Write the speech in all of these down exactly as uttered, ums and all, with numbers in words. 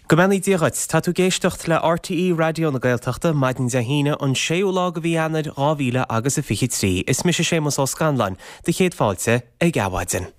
Go mbeannaí Dia dhuit, tá tú ag éisteacht le RTÉ Raidió na Gaeltachta, maidin Dé hAoine, an séú lá de mhí Eanáir dhá mhíle agus a fiche trí. Is mise Séamus Ó Scanláin, do chéad fáilte ag Adhmhaidin.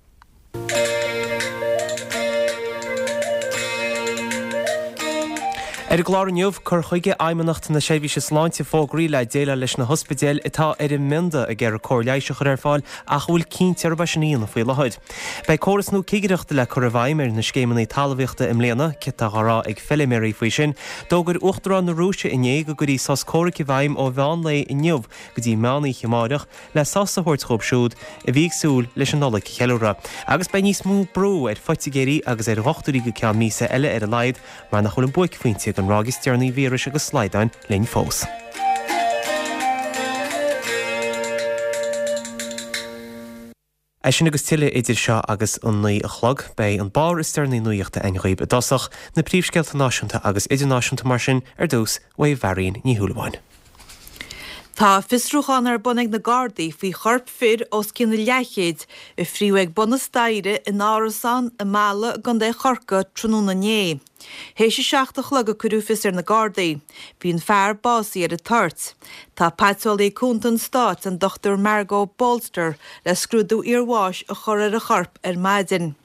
Ar an gclár inniu, cur chuige Fheidhmeannacht na Seirbhíse Sláinte fógraí le déileáil leis na hospidéil atá ar an mbionda ag iarraidh cóir leighis a chur ar fáil ach a bhfuil cinnte arb é sin a dhéanamh faoi láthair. Beidh córas nua cigireachta le cur i bhfeidhm ar na scéimeanna talmhaíochta i mbliana, céard atá á rá ag feiliméaraí faoi sin. D'fhógair Uachtarán na Rúise inné go gcuirfí sos comhraic i bhfeidhm ó mheán lae inniu go dtí meán oíche amáireach le sos a thabhairt dhóibh siúd a bhí ag súil leis an Nollaig a cheiliúradh. Agus beidh níos mó brú ar phoitigéirí agus ar dhochtúirí go ceann míosa eile ar a laghad mar nach bhfuil an buaicphointe den ráig is deireanaí víris agus slaghdáin linn fós. É sin agus tuilleadh idir seo agus an naoi a chlog. Beidh an barr is deireanaí nuachta againn dhaoibh i dtosach, na príomhscéalta náisiúnta agus idirnáisiúnta mar sin ar dtús uaidh Mharion Ní Shúilleabháin. Tá fiosrúchán ar bun ag na Gardaí faoi chorp fir os cionn a leathchéid a fríodh ag bun na staighre in árasán i Mala i gContae Chorcaí tráthnóna inné. Théis a seacht a chlog a cuireadh fios ar na Gardaí. Bhí an fear básaithe ar an toirt. Tá Paiteolaí Cúnta an Stáit, an Dochtúir Margot Bolster, le scrúdú iarbháis a chur ar an chorp ar maidin.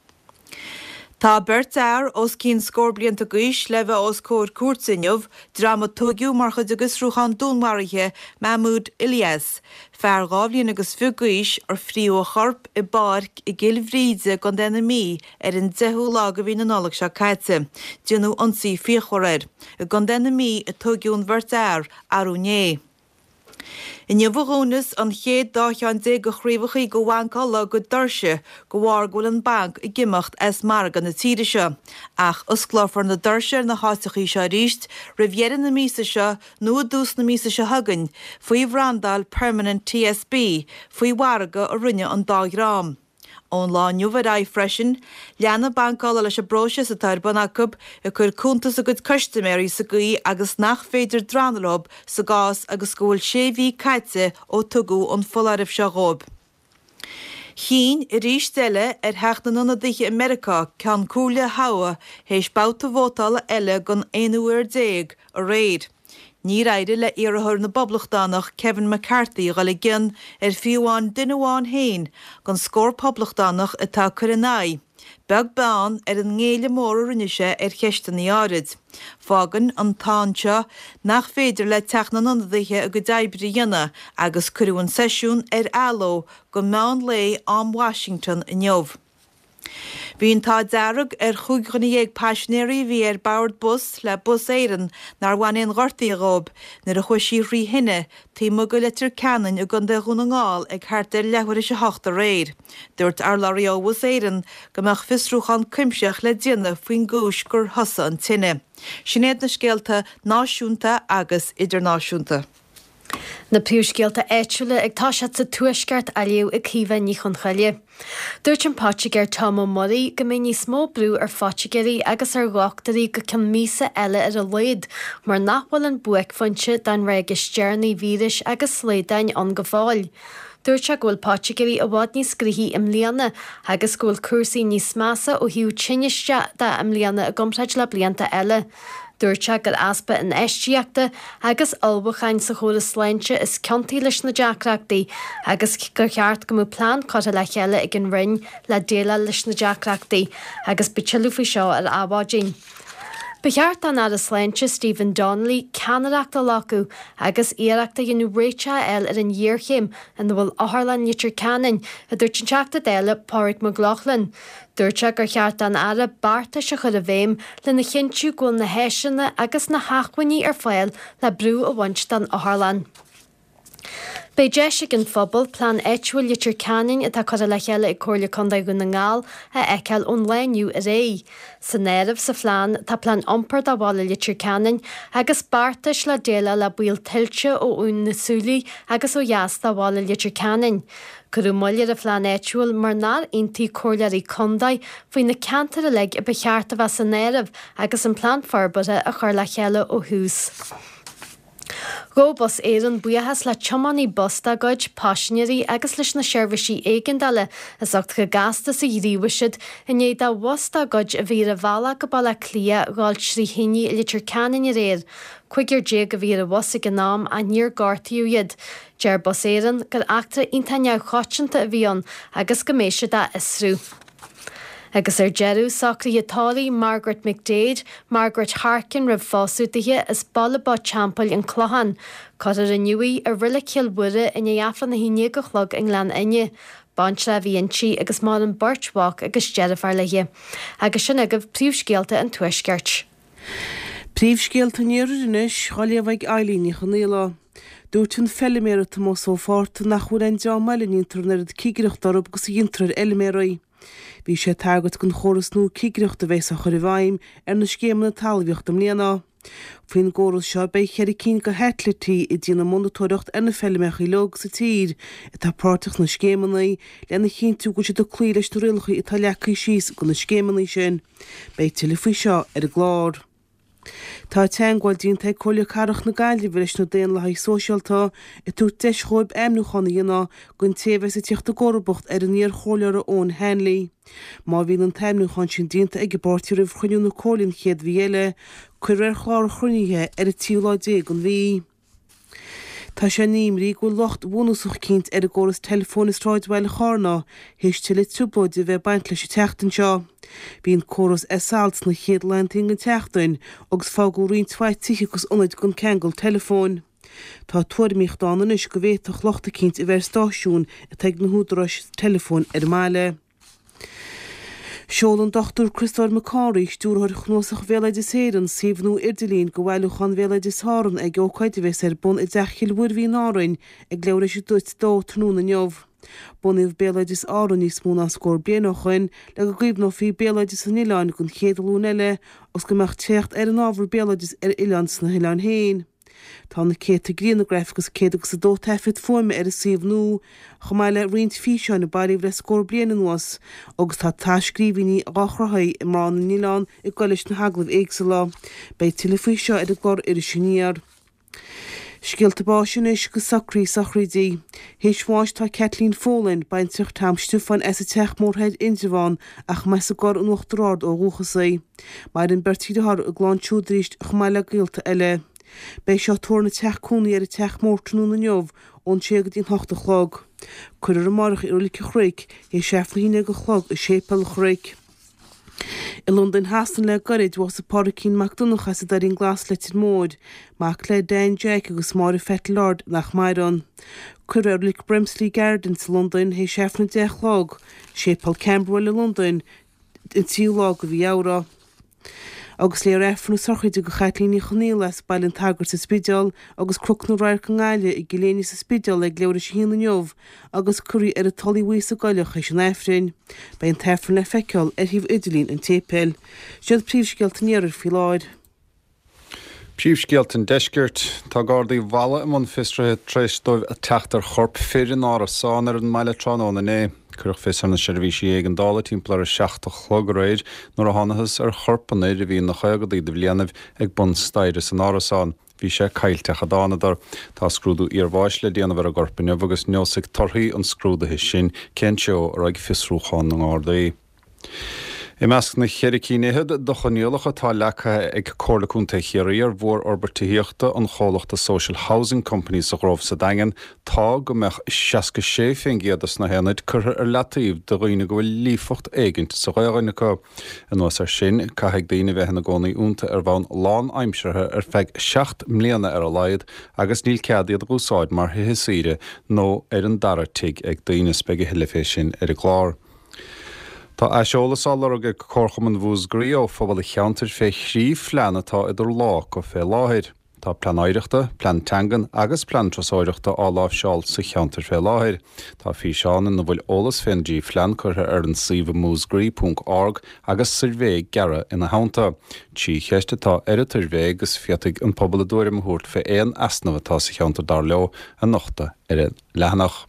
Tá beirt fhear os cionn scór blianta d'aois le bheith os comhair cúirte inniu, dream a tóigeadh mar chuid de fhiosrúchán dúnmharaithe Mahmoud Ilyas, fear dhá bhliain agus fiche d'aois ar fríodh a chorp i bpáirc i gCill Bhríde i gContae na Mí ar an deichiú lá de mhí na Nollag seo caite. Déanadh ionsaí fíochmhar air. I gContae na Mí a tóigeadh an bheirt fhear arú inné. Inniu a dhúnfas an chéad dá cheann déag de chraobhachaí de Bhanc Uladh a gcuid doirse de bharr go bhfuil an banc ag imeacht as margadh na tíre seo. Ach osclófar na doirse ar na háiteachaí seo arís roimh dheireadh na míosa seo nó i dtús na míosa seo chugainn faoi bhrandáil Permanent TSB faoi mhargadh a rinne an dá dhream. Ón lá inniu ar aghaidh freisin, leanfaidh Banc Uladh leis an bpróiseas atá ar bun acu ag cur cuntas a gcuid custaiméirí sa gcaoi agus nach féidir drannadh leo sa gcás agus go bhfuil sé mhí caite ó tugadh an foláireamh seo dhóibh. Chinn, arís eile, ar Theach na nIonadaithe i Meiriceá Ceann Comhairle a thoghadh théis babhta vótála eile don aonú huair déag aréir. Níor éirigh le iarrthóir na bPoblachtánach Kevin McCarthy a dhul i gcion ar fiú amháin duine amháin féin den scór Poblachtánach atá ag cur ina aghaidh, beag beann ar an ngéilleadh mór a rinne sé ar cheisteanna áirid. Fágann an tsáinn seo nach féidir le Teach na nIonadaithe a gcuid oibre a dhéanamh agus cuireadh an seisiún ar athló go meán lae am Washington inniu. Bhí an t-ádh dearg ar chúig dhuine dhéag paisinéirí a bhí ar bord bus le Bus Éireann nár bhain aon ghortaithe dhóibh nuair a chuaigh sí thrí thine taobh amuigh de Leitir Ceanainn i gContae Dhún na nGall ag thart ar leathuair théis a hocht aréir. Dúirt urlabhraí ó Bhus Éireann go mbeadh fiosrúchán cuimsitheach le déanamh faoin gcúis gur thosaigh an tine. Sin iad na scéalta náisiúnta agus idirnáisiúnta. Na príomhscéalta áitiúla ag toiseacht sa Tuaisceart á léamh ag Caoimhe Ní Chonchoille. Dúirt an Poitigéir Tom Ó Muirí go mbeidh níos mó brú ar phoitigéirí agus ar dhochtúirí go ceann míosa eile ar a laghad mar nach bhfuil an buaicphointe den ráig is deireanaí víris agus slaghdán ann go fóill. Dúirt sé go bhfuil poitigéirí i bhfad níos gnoithí i mbliana agus go bhfuil cúrsaí níos measa ó thaobh tinnis de i mbliana i gcomparáid le blianta eile. Dúirt sé gur easpa infheistíochta agus ullmhúcháin sa chóras sláinte is ciontaí leis na deacrachtaí agus gur cheart go mbeadh plean curtha le chéile ag an Roinn le déileáil leis na deacrachtaí agus beidh tuilleadh faoi seo ar Adhmhaidin. Ba cheart don Aire Sláinte Stephen Donnelly ceannaireacht a ghlacadh agus iarracht a dhéanamh réiteach a fháil ar an ghéarchéim ina bhfuil Otharlann Leitir Ceanainn, a dúirt an Teachta Dála Pádraig Mac Lochlainn. Dúirt sé gur cheart don Aire beartais a chur i bhfeidhm lena chinntiú go bhfuil na háiseanna agus na hacmhainní ar fáil le brú a bhaint den otharlann. Beidh deis ag an phobal Plean Áitiúil Leitir Ceanainn atá curtha le chéile ag Comhairle Contae Dhún na nGall a fheiceáil ón lá inniu ar aghaidh. San áireamh sa phlean tá plean iompair do bhaile Leitir Ceanainn agus beartais le déileáil le baol tuilte ó Abhainn na Súilí agus ó dheas de bhaile Leitir Ceanainn. Cuireadh moill ar an phlean áitiúil mar nár aontaigh comhairleoirí contae faoi na ceantair uilig a ba cheart a bheith san áireamh agus an plean forbartha á chur le chéile ó thús. Ghabh Bus Éireann buíochas le tiománaí bus dá gcuid, paisinéirí agus leis na seirbhísí éigeandála as ucht chomh gasta is a ghníomhaigh siad i ndiaidh do bhus dá gcuid a bhí ar a bhealach go Baile Átha Cliath dhul trí thine i Leitir Ceanainn aréir. Cúigear déag a bhí ar an bhus ag an am ach níor gortaíodh iad. Deir Bus Éireann gur eachtra iontach neamhchoitianta a bhí ann agus go mbeidh siad á fhiosrú. Agus ar deireadh, socruithe tórraimh Margaret McDade, Margaret Harkin roimh phósadh dithe as Baile Bó Teampaill an Clochán. Cuirfear inniu í i Reilig Chill Mhuire i ndiaidh Aifreann a haon déag a chlog i nGleann Fhinne. Baintreach a bhí inti agus maireann beirt mhac agus deirfiúr léi. Agus sin agaibh príomhscéalta an Tuaiscirt. Príomhscéalta an Iarthair anois, á léamh ag Eilín Ní Chonaola. Dúirt an feiliméara Tomás Ó Fátharta nach bhfuil aon dream eile a ndéantar an oiread cigireachta orthu agus a dhéantar ar fheiliméaraí. Bhí sé ag tagairt don chóras nua cigireachta a bheas á chur i bhfeidhm ar na scéimeanna talmhaíochta i mbliana. Faoin gcóras seo beidh ceithre cinn de shaitilítí ag déanamh monatóireacht ar na feilméachaí uilig sa tír atá páirteach sna scéimeanna lena chinntiú go bhfuil siad ag cloí leis na rialacha atá leagtha síos do na scéimeanna sin. Beidh tuilleadh faoi seo ar an gclár. Tá teagmháil déanta ag Comhairle Cathrach na Gaillimhe leis na Daonlathaithe Sóisialta, ag tabhairt deis dhóibh ainmniúchán a dhéanamh don té a bheas ag tíocht i gcomharbacht ar an iar-chomhairleoir Eoin Hanley. Má bhíonn an t-ainmniúchán sin déanta ag an bpáirtí roimh chruinniú na Comhairle an chéad mhí eile, cuirfear ar chlár an chruinnithe ar an tríú lá déag den mhí. Tá sé in imní go bhfuil locht bhunúsach eicínt ar an gcóras teileafóin i sráidbhaile Charna théis tuilleadh trioblóide a bheith ag baint leis an tseachtain seo. Bhí an córas ar salt sna chéad laethanta den tseachtain agus fágadh roinnt mhaith tithe agus ionaid gan ceangal teileafóin. Tá tuairimíocht ann anois go bhféadfadh locht eicínt a bheith ar stáisiún atá ag na húdaráis teileafóin ar an mbaile. Sheol an Dochtúir Criostóir Mac Cárthaigh, Stiúrthóir Chnuasach Bhéaloideas Éireann, suíomh nua idirlín do Bhailiúchán Bhéaloideas Árann ag ócáid a bheas ar bun i dTeach Chill Mhuirbhigh in Árainn ag leathuair tar éis a dó tráthnóna inniu. Bunaíodh Béaloideas Árann níos mó ná scór bliain ó shoin le go gcaomhnófaí béaloideas an oileáin don chéad ghlúin eile agus go mbeadh teacht ar an ábhar béaloidis ar oileán sna hoileáin féin. Tá na céadta griangraf agus céad agus a dó taifead fuaime ar an suíomh nua, chomh maith le roinnt físeáin a bailíodh le scór bliain anuas, agus tá tras-scríbhinní dhá chruthú ag mná na n-oileán ag goil leis na hagallaimh éagsúla. Beidh tuilleadh faoi seo ar an gclár Iris Aniar. Scéalta báis anois agus socruithe sochraidí. Théis bháis tá Kathleen Folan, baintreach Tom Stiofáin as an Teach Mór Thoir, Indreabhán, ach mba as an gCorr in Uachtar Ard ó dhúchas í. Maireann beirt dheartháir a gclann siúd arís chomh maith le gaolta eile. Beidh sí á tórramh ina teach cónaí ar an Teach Mór tráthnóna inniu ón sé go dtí an hocht a chlog. Cuirfear amárach í i Reilig an Chnoic théis Aifreann a haon déag a chlog i Séipéal an Chnoic. I Londain Shasana le gairid, bhásaigh Pádraicín Mac Donncha as an Doirín Glas, Leitir Móir, mac le Dan Jack agus Máire Phat Lord nach maireann. Cuirfear é i Reilig Brimsley Gardens i Londain théis Aifreann a deich a chlog, Séipéal Camberwell i Londain, an tríú lá de mhí Fheabhra. Agus léifear Aifreann na sochraide do Chaitlín Ní Chonaola as Baile an tSagairt sa Spidéal agus Cnoc na Radharc i nGaillimh i gCill Éinne sa Spidéal ag leathuair tar éis a haon inniu agus cuirfear í ar an Tulaigh Bhuí sa gCoilleach théis an Aifrinn. Beidh an tAifreann le feiceáil ar shuíomh idirlín an tséipéil. Sin iad príomhscéalta an Iarthair faoi láthair. Príomhscéalta an Deiscirt. Tá Gardaí Mhalla i mbun fiosraithe tar éis dóibh teacht ar chorp fir in árasán ar an mbaile tráthnóna inné. Cuireadh fios ar na seirbhísí éigeandála timpeall ar a seacht a chlog aréir nuair a thángthas ar chorp an fhir a bhí ina chaogaidí de bhlianaibh ag bun staighre san árasán. Bhí sé caillteach a dtánadar. Tá scrúdú iarbháis le déanamh ar an gcorp inniu agus neosfaidh torthaí an scrúdaithe sin cén treo a raghaidh fiosrúchán na nGardaí. I measc na cheithre cinn fhichead de choinníollacha atá leagtha ag Comhairle Contae Chiarraí ar mhórfhorbairt tithíochta an chomhlachta Social Housing Company sa Ghrove sa Daingean tá go mbeadh seasca sé faoin gcéad de na haonaid curtha ar leataobh do dhaoine go bhfuil líofacht éigint sa Ghaelainn acu. Anuas air sin, caithfidh daoine bheith ina gcónaí iontu ar bhonn lánaimseartha ar feadh seacht mbliana ar a laghad agus níl cead iad a úsáid mar thithe saoire nó ar an dara tigh ag daoine. Beidh a thuilleadh fé sin ar an gclár. Tá aiseolas á lorg ag Comharchumann Mhúscraí ó phobal an cheantair fé thrí phlean atá idir lámha acu fé láthair. Tá plean oidhreachta, plean teangan agus plean turasóireachta á láimhseáil sa cheantar fé láthair. Tá físeán ina bhfuil eolas fén dtrí phlean curtha ar an suíomh múscraí ponc org agus suirbhé gearr ina theannta. Trí cheist atá ar an tsuirbhé agus féadfaidh an pobal a dtuairim a thabhairt fé aon easnamh atá sa cheantar dar leo a nochtadh ar an leathanach.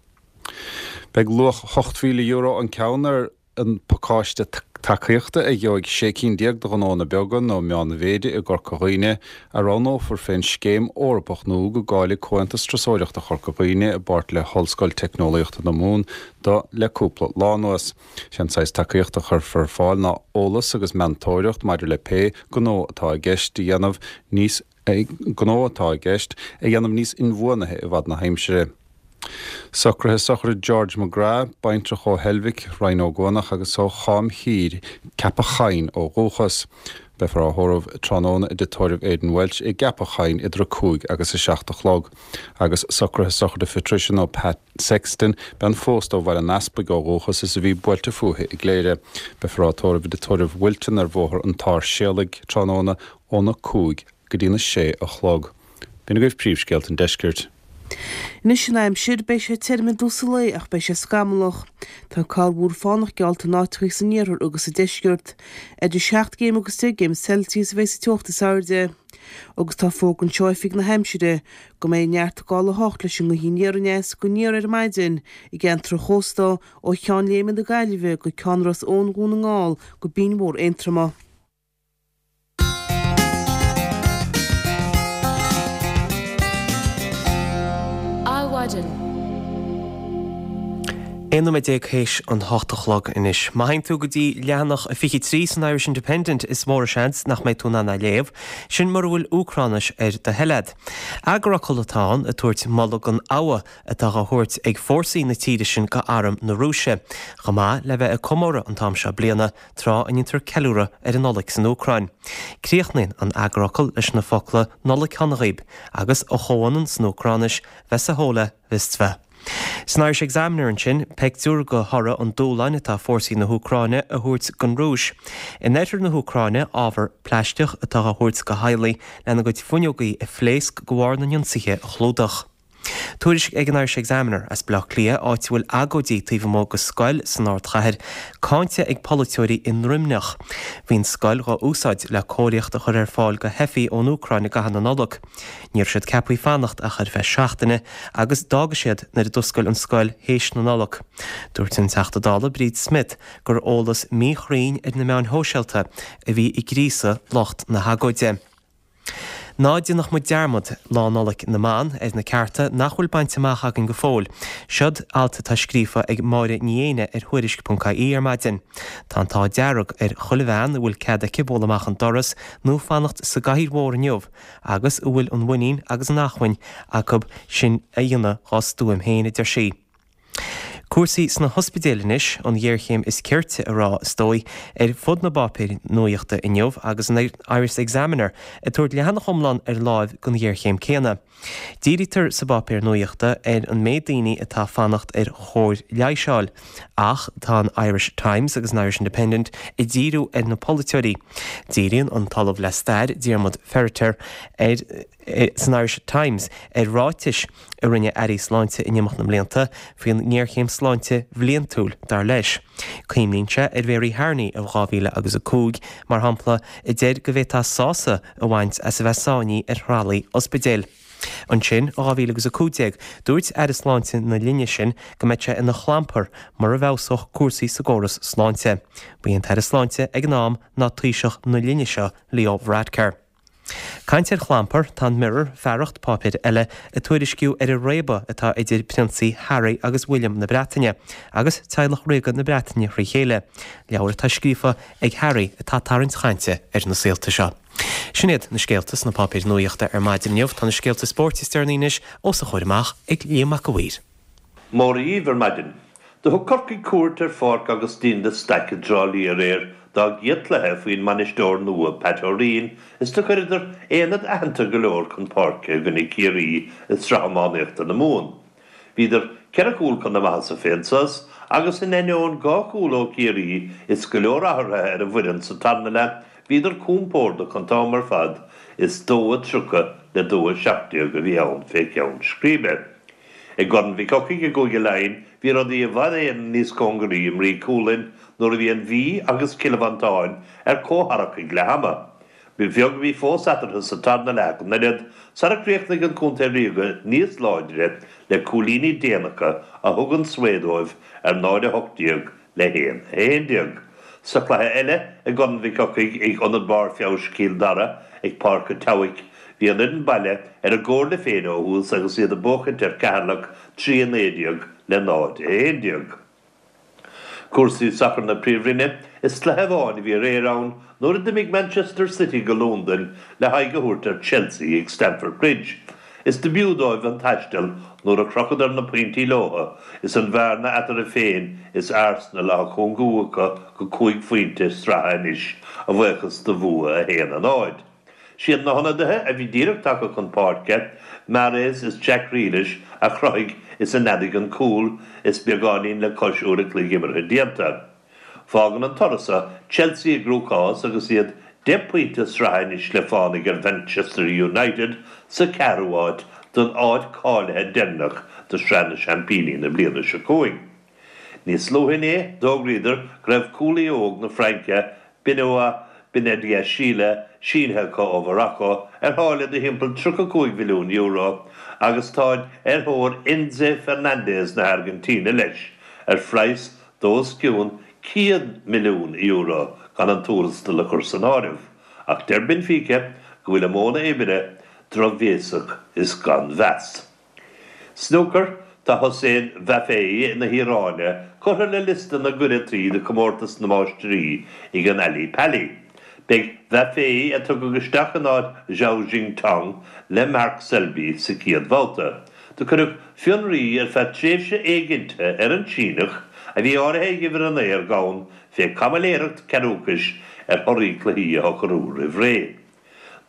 Beidh luach ocht mhíle euro an ceann ar an pacáiste tacaíochta a gheobhaidh sé cinn déag de ghnónna beaga nó meánmhéide i gCorca Dhuibhne a roghnófar fén Scéim Eorpach nua go gcáiligh Comhaontas Turasóireachta Chorca Dhuibhne i bpáirt le hOllscoil Teicneolaíochta na Mumhan do le cúpla lá anuas. Sé an saghas tacaíochta a chuirfear ar fáil ná eolas agus meantóireacht maidir le pé gnó atá i gceist a dhéanamh níos gnó atá i gceist a dhéanamh níos inbhuanaithe i bhfad na haimsire. Socruithe sochraide George McGrath, baintreach ó Heilbhic, Rinn Ó gCuanach agus ó Chám Thiar, Ceapach Choinn ó dhúchas. Beifear á thórramh tráthnóna i dtigh tórraimh Aidan Welch i gCeapach Choinn idir a cúig agus a seacht a chlog. Agus socruithe sochraide Phatricia nó Pat Sexton, bean phósta ó Bhaile an Easpaig ó dhúchas is a bhí buailte fúithi i gCléire. Beifear á tórramh i dtigh tórraimh Wilton ar Bhóthar an tSáirséalaigh tráthnóna óna cúig go dtína sé a chlog. B'in agaibh príomhscéalta an deiscirt. Anois an aimsir, beidh sé tirim i dtús an lae ach beidh sé scamallach. Tá corrmhúr fánach geallta in áiteachaí san iarthar agus sa deisceart. Idir seacht gcéim agus deich gcéim Celsius a bheidh sa teocht is airde. Agus tá fógra anseo ó Oifig na hAimsire go mbeidh neart gála a hocht leis an ngaoth aniar aneas go aniar ar maidin i gceantar an chósta ó Cheann Léime na Gaillimhe go Ceann Ros Eoin Dhún na nGall go Binn Mhór Aontroma. Adhmhaidin. Aon nóiméad déag théis an hocht a chlog anois. Má théann tú go dtí leathanach fiche trí san Irish Independent is mór an seans nach mbeidh tú in ann é a léamh, sin mura bhfuil Úcráinis ar do thoil agat. Eagarfhocal atá ann ag tabhairt moladh don fhogha atá á thabhairt ag fórsaí na tíre sin go arm na Rúise, chomh maith le bheith ag comóradh an t-am seo bliana, tráth a ndéantar ceiliúradh ar an Nollaig san Úcráin. Críochnaíonn an eagarfhocal leis na focla Nollaig Shona dhaoib agus a chomhionann san Úcráinis, Vesohola Ristva. San Irish Examiner ansin, peictiúr de thoradh an dúshláin atá fórsaí na hÚcráine a thabhairt don Rúis. In oirthear na hÚcráine, ábhar plaisteach atá á thabhairt do theaghlaigh lena gcuid fuinneogaí a phléasc de bharr na n-ionsaithe a chlúdach. Tuairisc ag an Irish Examiner as Baile Átha Cliath, áit a bhfuil agóidí taobh amuigh de scoil san ardchathair, cáinte ag polaiteoirí i nDroimneach. Bhí an scoil dhá úsáid le cóiríocht a chur ar fáil do theifigh ón Úcráin i gcaitheamh na Nollag. Ní raibh siad ceaptha fanacht ach ar feadh seachtaine agus d'fhága siad nuair a d'oscail an scoil théis na Nollag. Dúirt an Teachta Dála Bríd Smith gur eolas míchruinn ar na meáin shóisialta a bhí ag gríosadh lucht na hagóide. Ná déanadh muid dearmad Lá Nollag na mBan ar na cearta nach bhfuil bainte amach againn go fóill. Seod alt atá scríofa ag Máire Ní Éinne ar Thuairisc ponc ie ar maidin. Tá an t-ádh dearg ar chuile bhean a bhfuil cead aici bualadh amach an doras nó fanacht sa gcathaoir mhór inniu agus a bhfuil an mhuinín agus an acmhainn acu sin a dhéanamh dhá stuaim féin, a deir sí. Cúrsaí sna hospidéil anois, an ghéarchéim is cirte a rá, is dóigh, ar fud na bpáipéar nuaíochta inniu agus an Irish Examiner ag tabhairt leathanach iomlán ar láimh don ghéarchéim céanna. Dírítear sa bpáipéar nuaíochta ar an méid daoine atá ag fanacht ar chóir leighis a fháil ach tá an Irish Times agus an Irish Independent ag díriú ar na polaiteoirí. Díríonn an tOllamh le Stair, Diarmaid Ferriter, ar san Irish Times ar ráitis a rinne airí sláinte in imeacht na mblianta faoin ngéarchéim sláinte bhliantúil, dar leis. Cuimhníonn sé ar Mhary Harney i dhá mhíle agus a cúig, mar shampla, a deir go bhféadfá sásamh a bhaint as a bheith sáinnithe ar thralaí ospidéil. Ansin, i dhá mhíle agus a cúig déag, dúirt Aire Sláinte na linne sin go mbeadh sé ina chlampar mura bhfeabhsódh cúrsaí sa gcóras sláinte. Ba é an tAire Sláinte ag an am ná Taoiseach na linne seo, Leo Varadkar. Caint ar chlampar, tá an Mirror, fearacht páipéir eile, ag tuairisciú ar an réabadh atá idir Prionsaí Harry agus William na Breataine, agus teaghlach ríoga na Breataine thrí chéile. Leabhar atá scríofa ag Harry atá ag tarraingt chainte ar na saolta seo. Sin iad na scéalta sna páipéir nuaíochta ar maidin inniu. Tá na scéalta spóirt is deireanaí anois os a chomhair amach ag Liam Mac a' Mhaoir. Móra dhíbh ar maidin. Do thug Corcaigh cuairt ar Pháirc Augustín de Staic i dTrá Lí aréir dá gcéad cluiche faoin mbainisteoir nua Pat O'Reen is do chuireadar aonad aitheanta go leor chun páirce i gcoinne Ciarraí i Sraith Iománaíochta na Mumhan. Bhíodar ceithre chúl chun na maitheasa fén sos agus in ainneoin dhá chúl ó Chiarraí is go leor athruithe ar an bhfoireann sa tarna leath bhíodar compordach an t-am ar fad is dó a tríocha le dó a seacht déag a bhí ann fé cheann scríbe. I gCorn Mhic Eochaidh i gCúige Laighean bhí rudaí i bhfad Éireann níos cóngaraí i mBrí Cualann nuair a bhí an Mhí agus Cill Mhantáin ar comhtharrac ag leath ama. Ba bheag a bhí fós eatarthu sa tarna leath ach an oiread, sara chríochnaigh an contae ríoga níos láidre le cúilíní déanacha a thug an svae dóibh ar náid a hocht déag le haon a haon déag. Sa chluiche eile i gCorn Mhic Eochaidh ag Ionad Barr Feabhais Chill Dara ag Páirc an tSeabhaic, bhí an fhoireann baile ar a gcomhairle féin ó thús agus iad ag buachaint ar Cheatharlach trí a naoi déag le náid a haon déag. Cúrsaí sacair na Príomhroinne, Is cluiche amháin a bhí aréir ann nuair a d'imigh Manchester City go Londain le haghaidh a thabhairt ar Chelsea ag Stamford Bridge. Is do b'fhiú dóibh an taisteal nuair a chrochadar na pointí leotha is an bhearna eatarthu féin is Arsenal á cúngú acu go cúig phointe sraithe anois, a bhuíochas do bhua a haon a náid. Siad na hionadaithe a bhí díreach tagtha chun páirce, Mahrez is Jack Grealish, a chruthaigh is a neadaigh an cúl is beagáinín le cois uair a chloig imeartha déanta. Fágann an toradh seo Chelsea i gcruachás agus iad deich bpointe sraithe anois le fánaigh ar Mhanchester United sa cheathrú háit don áit cáilithe deireanach do Shraith na Seaimpíní na bliana seo chugainn. Níos luaithe inné, d'fhógraíodar go raibh cúlaí óg na Fraince, Benoit Badiashile, sínithe acu ó Mhorocco ar tháille de thimpeall tríocha cúig mhilliún euro agus táid ar thóir Enzo Fernandez na hAirgintíne leis ar phraghas d'os cionn céad milliún euro gan an tuarastal a chur san áireamh, ach deir Benfica go bhfuil a modhanna oibre drochbhéasach is gan mheas. Snúcar, Tá Hossein Vafaei na hIaráine curtha le liosta na gcuireataí do Chomórtas na Máistrí ag an Ally Pally. Beidh Vafaei, a tugadh isteach in áit Zhao Xintong, le Mark Selby sa chéad bhabhta. Do cuireadh fionraí ar feadh tréimhse éiginnte ar an Síneach, a bhí áirithe ag uimhir a naoi ar dhomhan fé chaimiléireacht ceathrúchais ar thorthaí cluichí a shocrú roimh ré.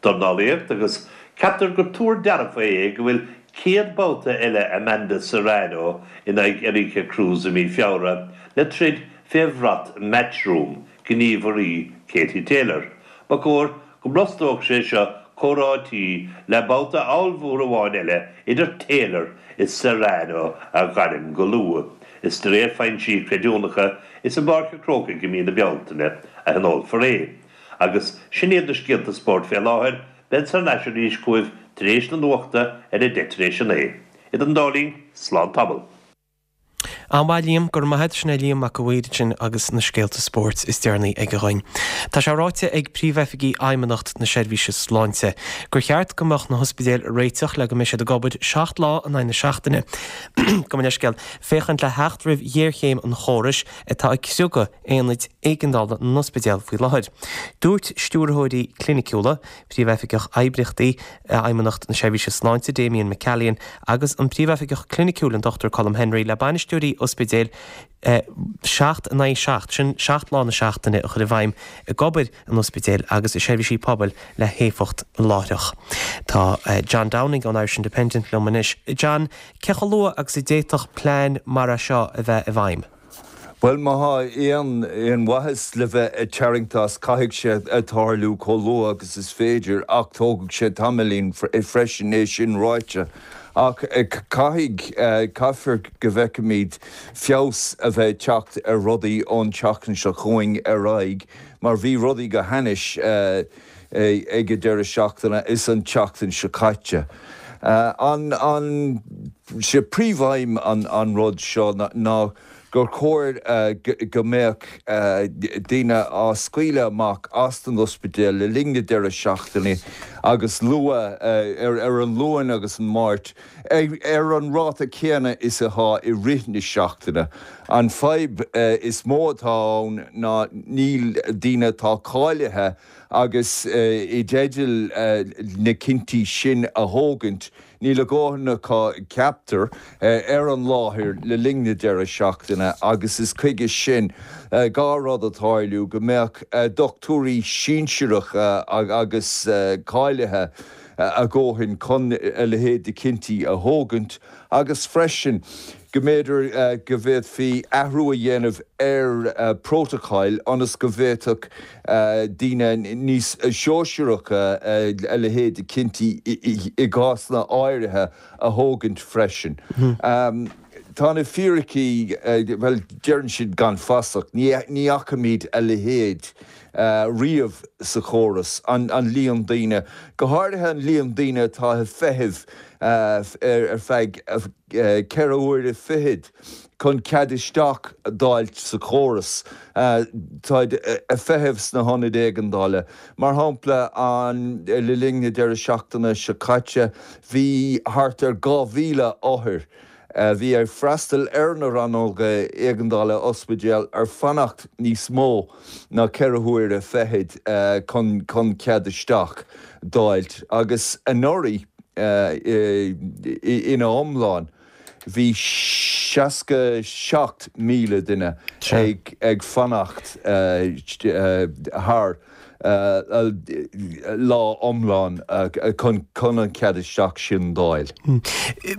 Dornálaíocht agus ceaptar gur tuar dearfa é go bhfuil céad babhta eile Amanda Serrano in aghaidh Erika Cruz i mí Feabhra le troid fé bhrat Matchroom, gníomhairí Katie Taylor. Ba chóir go mbrostódh sé seo comhráití le babhta ollmhór amháin eile idir Taylor is Serrano a ghairm go luath, is de réir foinsí creidiúnacha is i bPáirc an Chrócaigh i mí na Bealtaine a thionólfar é. Agus sin iad na scéalta spóirt fé láthair, bead thar n-ais arís chugaibh tar éis na nuachta ar a deich tar éis a naoi. Idir an dá linn, slán tamall. An-mhaith Liam, go raibh maith agat. Sin é Liam Mac a' Mhaoir ansin agus na scéalta spóirt is deireanaí aige dhúinn. Tá sé ráite ag Príomhoifigigh Fheidhmeannacht na Seirbhíse Sláinte gur cheart go mbeadh na hospidéil réiteach le go mbeidh siad ag obair seacht lá in aghaidh na seachtaine. Gabh mo leithscéal, féachaint le theacht roimh ghéarchéim an chórais atá ag criogadh aonaid éigeandála na n-ospidéal faoi láthair. Dúirt stiúrthóirí cliniciúla, Príomhoifigeach Oibríochtaí Fheidhmeannacht na Seirbhíse Sláinte Damien McCallion agus an Príomhoifigeach Cliniciúil an Dochtúir Colm Henry le bainisteoirí ospidéil seacht in aghaidh seacht, sin seacht lá na seachtaine, a chur i bhfeidhm ag obair in ospidéil agus i seirbhísí pobail le héifeacht láithreach. Tá John Downing ón Irish Independent liom anois. John, cé chomh luath agus a d'fhéadfadh plean mar é seo a bheith i bhfeidhm? Bhuel, má thá aon aon mhaitheas le bheith ag tarraingt as, caithfidh sé tarlú chomh luath agus is féidir, ach tógfaidh sé tamaillín freisin, é sin ráite. Ach caithfidh, caithfear go bhfeicfimid feabhas a bheith ag teacht ar rudaí ón tseachtain seo chugainn ar aghaidh, mar bhí rudaí go hainnis ag an deireadh seachtaine is an tseachtain seo caite. An, an, sé príomhaidhm an, an rud seo ná gur chóir go mbeadh daoine á scaoileadh amach as an ospidéal le linn na deireadh seachtaine agus luath ar an Luan agus an Máirt ar an ráta céanna is atá i rith na seachtaine. An fadhb is mó atá ann ná níl daoine atá cáilithe agus i dteideal na cinntí sin a thógaint Níl a ndóthain acu, ceaptar, ar an láthair le linn na deireadh seachtaine agus is chuige sin gá rud a tarlú, go mbeadh dochtúirí sinsearacha agus cáilithe a dhóthain chun a leithéid de chinntí a thógaint agus freisin go mb'fhéidir go bhféadfaí athrú a dhéanamh ar prótacail ionas go bhféadfadh daoine níos sóisearacha a leithéid de chinntí i gcásanna áirithe a thógaint freisin. Tá na fíricí, bhuel, deireann siad gan fasach, ní fhacaimid a leithéid riamh sa chóras, an líon daoine, go háirithe an líon daoine atá ag feitheamh ar feadh ceithre huaire fichead chun cead isteach d'fháilt sa chóras. Táid ag feitheamh sna hionaid éigeandála. Mar shampla, le linn na deireadh seachtaine seo caite, bhí thart ar dhá mhíle othar a bhí ag freastal ar na rannóga éigeandála ospidéal ar fanacht níos mó ná ceithre huaire fichead chun cead isteach d'fháilt agus anuraidh ina iomlán bhí seasca seacht míle duine ag fanacht thar lá iomlán chun an cead isteach sin d'fháil.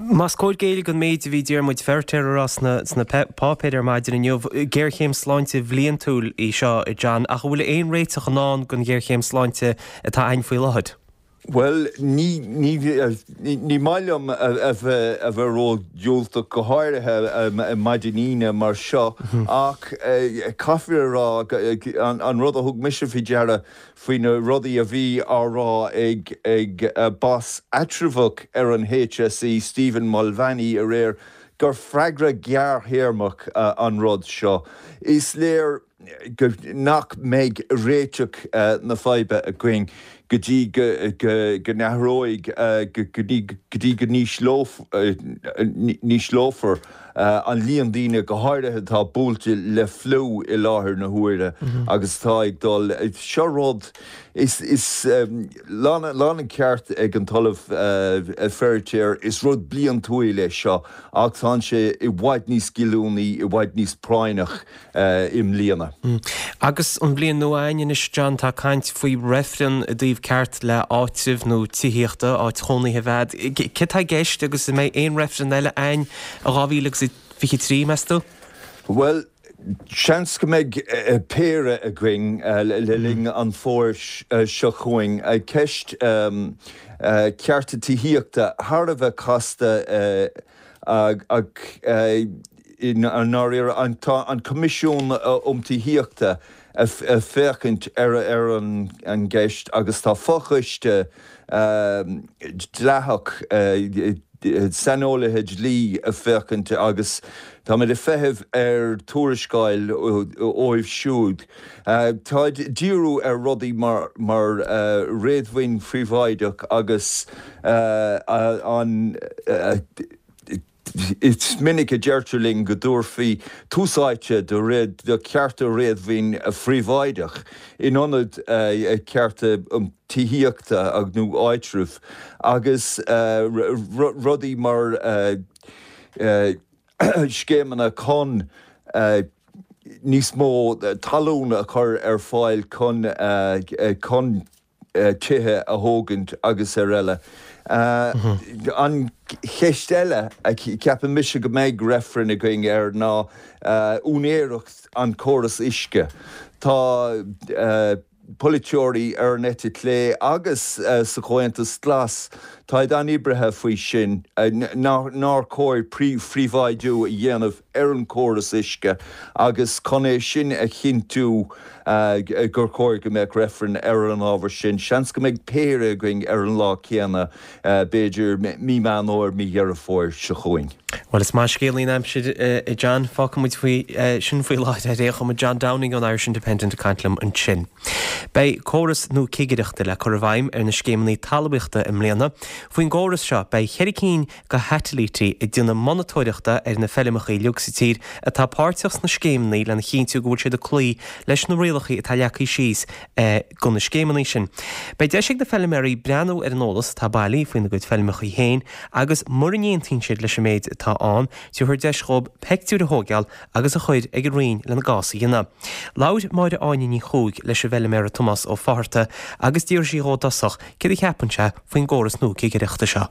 Más cóir géilleadh don méid a bhí Diarmuid Feiritéar a rá sna páipéir ar maidin inniu, géarchéim sláinte bhliantúil í seo, a John, ach an bhfuil aon réiteach i ndán don ghéarchéim sláinte atá againn faoi láthair? Bhuel, ní, ní, ní maith liom a bheith, a bheith ró-dhiúltach, go háirithe maidin Aoine mar seo, ach caithfear a rá, an rud a thug mise faoi deara faoi na rudaí a bhí á rá ag, ag boss eatramhach ar an HSE, Stephen Mulvaney, aréir, gur freagra gearrthéarmach an rud seo. Is léir go nach mbeidh réiteach na faidhbe againn go dtí go n-athróidh, go dtí go n-ísleofar an líon daoine, go háirithe atá buailte le fliú i láthair na huaire agus atá ag dul. Seo rud, is lán an ceart ag an tOllamh Feiritéar, is rud bliantúil é seo ach tá sé i bhfad níos goilliúnaí, i bhfad níos práinneach i mbliana. Agus an bhliain nua againn anois, John, tá caint faoi reifreann i dtaobh ceart le áitreabh nó tithíochta, áit chónaithe a bheith agat. Céard atá i gceist agus an mbeidh aon reifreann eile againn i dhá mhíle agus a fiche trí, meas tú? Bhuel, seans go mbeidh péire againn le linn an fhómhair seo chugainn. Ceist cearta tithíochta thar a bheith casta ach i ndáiríre tá an Coimisiún um Tithíochta ag féachaint ar an gceist agus tá fochoiste dleathach, saineolaithe dlí ag féachaint agus táimid ag feitheamh ar tuarascáil uaidh siúd. Táid ag díriú ar rudaí mar réadmhaoin phríobháideach agus an Is minic a deirtear linn go dtabharfaí tús áite do chearta réadmhaoin phríobháideach in ionad cearta tithíochta nó áitribh agus rudaí mar scéimeanna chun níos mó talún a chur ar fáil chun chun tithe a thógaint agus ar eile. An cheist eile a cheapann mise go mbeidh reifreann againn air ná úinéireacht an córas uisce. Tá polaiteoirí ar an eite chlé agus sa Chomhaontas Glas, táid an-buartha faoi sin, nár chóir príobháidiú a dhéanamh ar an chóras uisce agus chun é sin a chinntiú gur chóir go mbeadh reifreann ar an ábhar sin. Seans go mbeidh péire againn ar an lá céanna, b'fhéidir mí Meán Fhómhair, mí Dheireadh Fómhair seo chugainn. Bhuel, is maith scéalaí an aimsir a John. Fágfaidh muid faoi sin faoi láthair ar aon chuma. John Downing ón Irish Independent ag caint liom ansin. Beidh córas nua cigireachta le cur i bhfeidhm ar na scéimeanna talmhaíochta i mbliana. Faoin gcóras seo, beidh ceithre cinn de shatailítí ag déanamh monatóireachta ar na feilmeacha uilig sa tír atá páirteach sna scéimeanna lena chinntiú go bhfuil siad ag cloí leis na rialacha atá leagtha síos do na scéimeanna sin. Beidh deis ag na feilméaraí breathnú ar an eolas atá bailithe faoina gcuid feilmeacha féin agus mura n-aontaíonn siad leis an méid atá ann, tabharfar deis dhóibh peictiúir a thógáil agus a chur ag an Roinn lena gcás a dhéanamh. Labhair Máire Áine Ní Chuaig leis an bhfeilméara Tomás Ó Fátharta agus d'fhiafraigh sí dhó i dtosach céard a cheapann sé faoin gcóras nua cigireachta seo.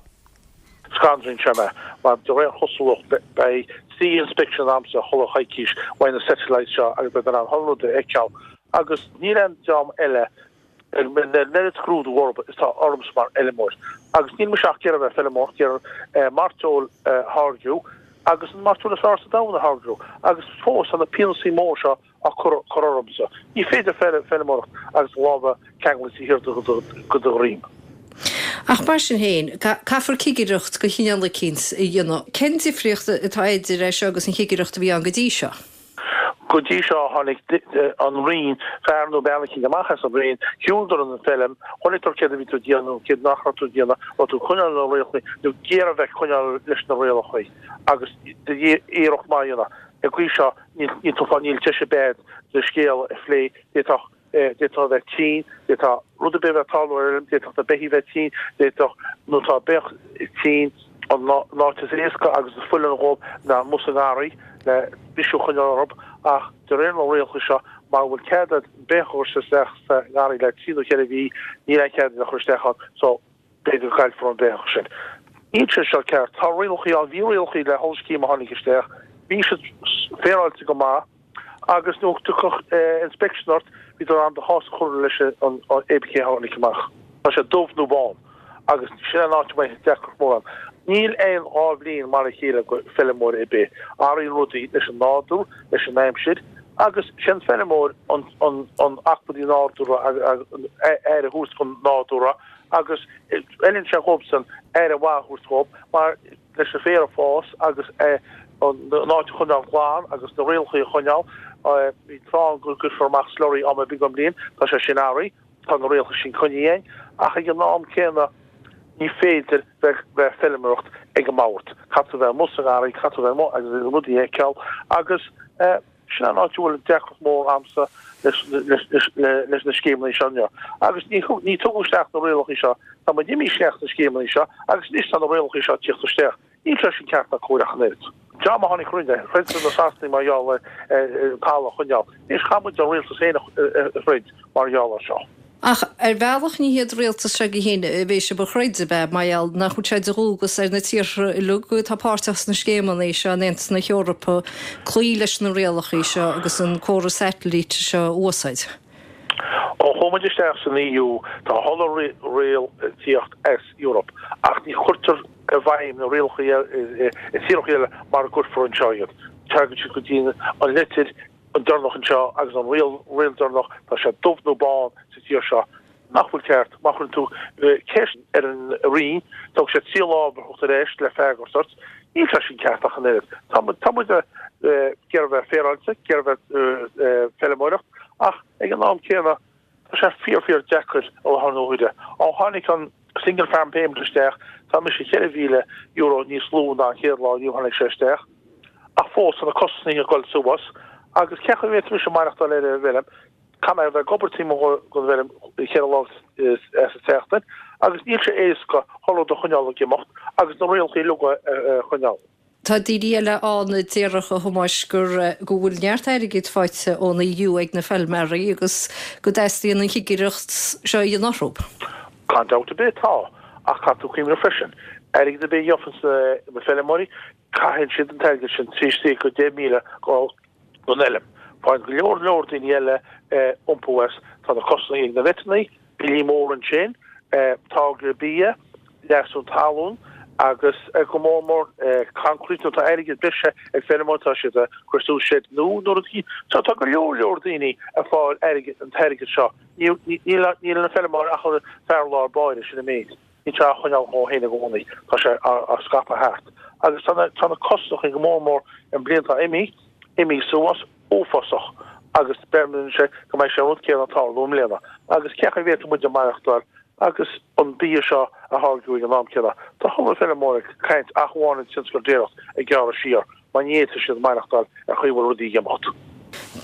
Scanraíonn sé mé, mar de réir chosúlacht beidh trí inspection agamsa chuile choicís uaidh na satellites seo agus beidh mé in ann chuile rud a fheiceáil agus níl aon dream eile ag an oiread scrúdú orthu is atá ormsa mar fheilmeoir. Agus níl mise ach ag iarraidh bheith feilmeoir, ag iarraidh mairteoil a tháirgiú agus an mairteoil is fearr sa domhan a tháirgiú agus fós tá na pionósaí mór seo á cur ormsa. Ní féidir feilméaracht agus lámha ceangailte thiar go do dhroim. Ach mar sin féin, caithfear cigireacht de chineál eicínt a dhéanamh. Cén difríocht atá idir é seo agus an chigireacht a bhí ann go dtí seo? Go dtí seo tháinig an Roinn, fear nó bean eicínt amach as an Roinn, shiúladar an feilm, chonaiceadar céard a bhí tú ag déanamh, céard nach raibh tú ag déanamh, raibh tú ag coinneáil na rialacha nó ag iarraidh a bheith ag coinneáil leis na rialacha agus iarracht maith a dhéanamh. An gcaoi seo níl tú fá níl deis ar bith agat do scéal a phlé, d'fhéadfadh d'fhéadfadh a bheith tinn, d'fhéadfadh rud ar bith a bheith ag tarlú ar fheilm, d'fhéadfadh na beithígh bheith tinn, d'fhéadfadh nó tá beach tinn an áit is éasca agus is folláine dhóibh ná amuigh sa ngarraí le bisiú a choinneáil orthu ach de réir na rialacha seo mara bhfuil cead agat beach a chur isteach sa ngarraí le trí nó ceithre mhí níl aon chead agat a chur isteach ann so b'fhéidir go gcaillfear an beach sin. Níl sé seo ceart. Tá rialacha ann, bhí rialacha le chuile scéim a tháinig isteach, bhí siad féaráilte go maith agus nuair a thiocfadh inspection ort bhí tú in ann do chás a chur leis an APK a tháinig amach. Tá sé dubh nó bán agus sin an áit a mbeidh deacracht mór ann. Níl aon dhá bhliain mar a chéile go feilméara ar bith. Athraíonn rudaí leis an nádúr, leis an aimsir agus sé an feilméara an an an acmhainní nádúrtha aire a thabhairt don nádúr agus fheileann sé dhóibhsan aire mhaith a thabhairt dhóibh mar leis an féar a fás agus an áit a choinneáil glan agus na rialacha a choinneáil. Bhí tráth ann go gcuirfear amach slurry am ar bith den bhliain, tá sé sin athraithe, tá na rialacha sin coinnithe againn ach ag an am céanna ní féidir bheith bheith feilméaracht ag an mbord. Caithfidh tú bheith amuigh sa ngarraí, caithfidh tú bheith amuigh agus rudaí a fheiceáil agus sin an áit a bhfuil deacracht mór a'msa leis na scéimeanna seo inniu. Agus ní ní tugadh isteach na rialacha seo, tá muid imithe isteach sna scéimeanna seo agus anois tá na rialacha seo ag tíocht isteach. Níl sé sin ceart ná cóir ach an oiread. Dream a tháinig roimhe, throid na Sasanaigh mar gheall ar talamh a choinneáil. Anois caithfidh muid an rialtas féin a throid mar gheall air seo. Ach ar bhealach ní hiad rialtas seo againn féin a bheidh sibh a throid, ab ea, mar gheall nach bhfuil sé de dhualgas ar na tíortha uilig atá páirteach sna scéimeanna seo in Aontas na hEorpa cloí leis na rialacha seo agus an córas satailíte seo a úsáid. Ó chuaigh muid isteach san EU tá chuile riail ag tíocht as Europe ach ní chuirtear i bhfeidhm na rialacha i tíortha eile mar a gcuirfear anseo iad. Tagann siad go dtí an litir an deireanach anseo agus an riail riail deireanach tá sé dubh nó bán sa tír seo nach bhfuil ceart. Má chuireann tú ceist ar an Roinn tógann sé trí lá a theacht ar ais le freagairt ort. Níl sé sin ceart ach an oiread. Tá tá muid ag iarraidh bheith féaráilte, ag iarraidh bheith feilméaracht ach ag an am céanna tá sé fíor fíor deacair i láthair na huaire. Ó tháinig an Single Farm Payment isteach tá mise ceithre mhíle euro níos lú ná an chéad lá inniu tháinig sé isteach. Ach fós tá na costais ag dul suas agus cén chaoi a bhféadfadh mise maireachtáil ar an bhfeilm, caithfidh mé a bheith ag obair taobh amuigh den bhfeilm cheithre lá sa tseachtain agus níl sé éasca chuile rud a choinneáil ag imeacht agus na rialacha uilig a choinneáil. Tá daoine eile ann a déarfadh, a Thomáis, gur go bhfuil neart airgid faighte ón EU ag na feilméaraí agus go dteastaíonn an chigireacht seo a dhéanamh orthu. Gan dabht ar bith tá, ach caithfidh tú cuimhneamh freisin, airgead ar bith a gheobhanns na feilméaraí, caitheann siad an t-airgead sin trí trí go deich míle don fheilm. Faigheann go leor leor daoine eile iompú as. Tá na costais ag na veteannaí, billí móra ansin, táirgeadh bia, leasú talún agus go mór mór concrete nó tá airgead breise ag feilméaraí, tá siad ag cur suas seid nua nó rudaí. So tá go leor leor daoine ag fáil airgead, an t-airgead seo. Níl níl an feilméara ach an fear lár báire, sin an méid. Níl sé á choinneáil dhó féin i gcónaí, tá sé á scaipeadh thart. Agus tá na tá na costachaí go mór mór an bliain atá imithe, imithe suas uafásach agus beireann sé go mbeidh sé an rud céanna ag tarlú i mbliana. Agus cén chaoi a bhféadfadh muid maireachtáil agus an bia seo a tháirgeadh ag an am céanna? Tá chuile feilméara ag caint ach amháin an tionscal déiríocht ag gearradh siar mar ní fhéadfaidh siad maireachtáil ar chaoi a bhfuil rudaí ag imeacht.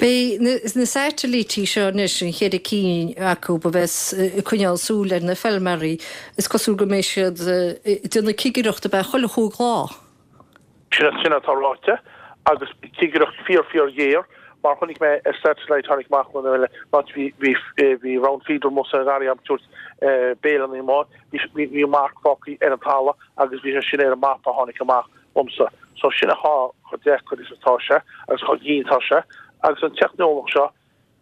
Beidh na satailítí seo anois, an cheithre cinn acu a bheas ag coinneáil súil ar na feilméaraí, is cosúil go mbeidh siad ag déanamh cigireacht ab ea chuile chúig lá? Sin sin atá ráite agus cigireacht fíor fíor ghéar mar chonaic mé ar satellite tháinig amach an eile áit bhí bhí bhí round feeder amuigh sa ngarraí ag tabhairt béile na bhí bhí marc fágtha ar an talamh agus bhí sé sin ar an mapa a tháinig amach liomsa. So sin an fáth chomh deacair is atá sé agus chomh dian atá sé agus an teicneolaíocht seo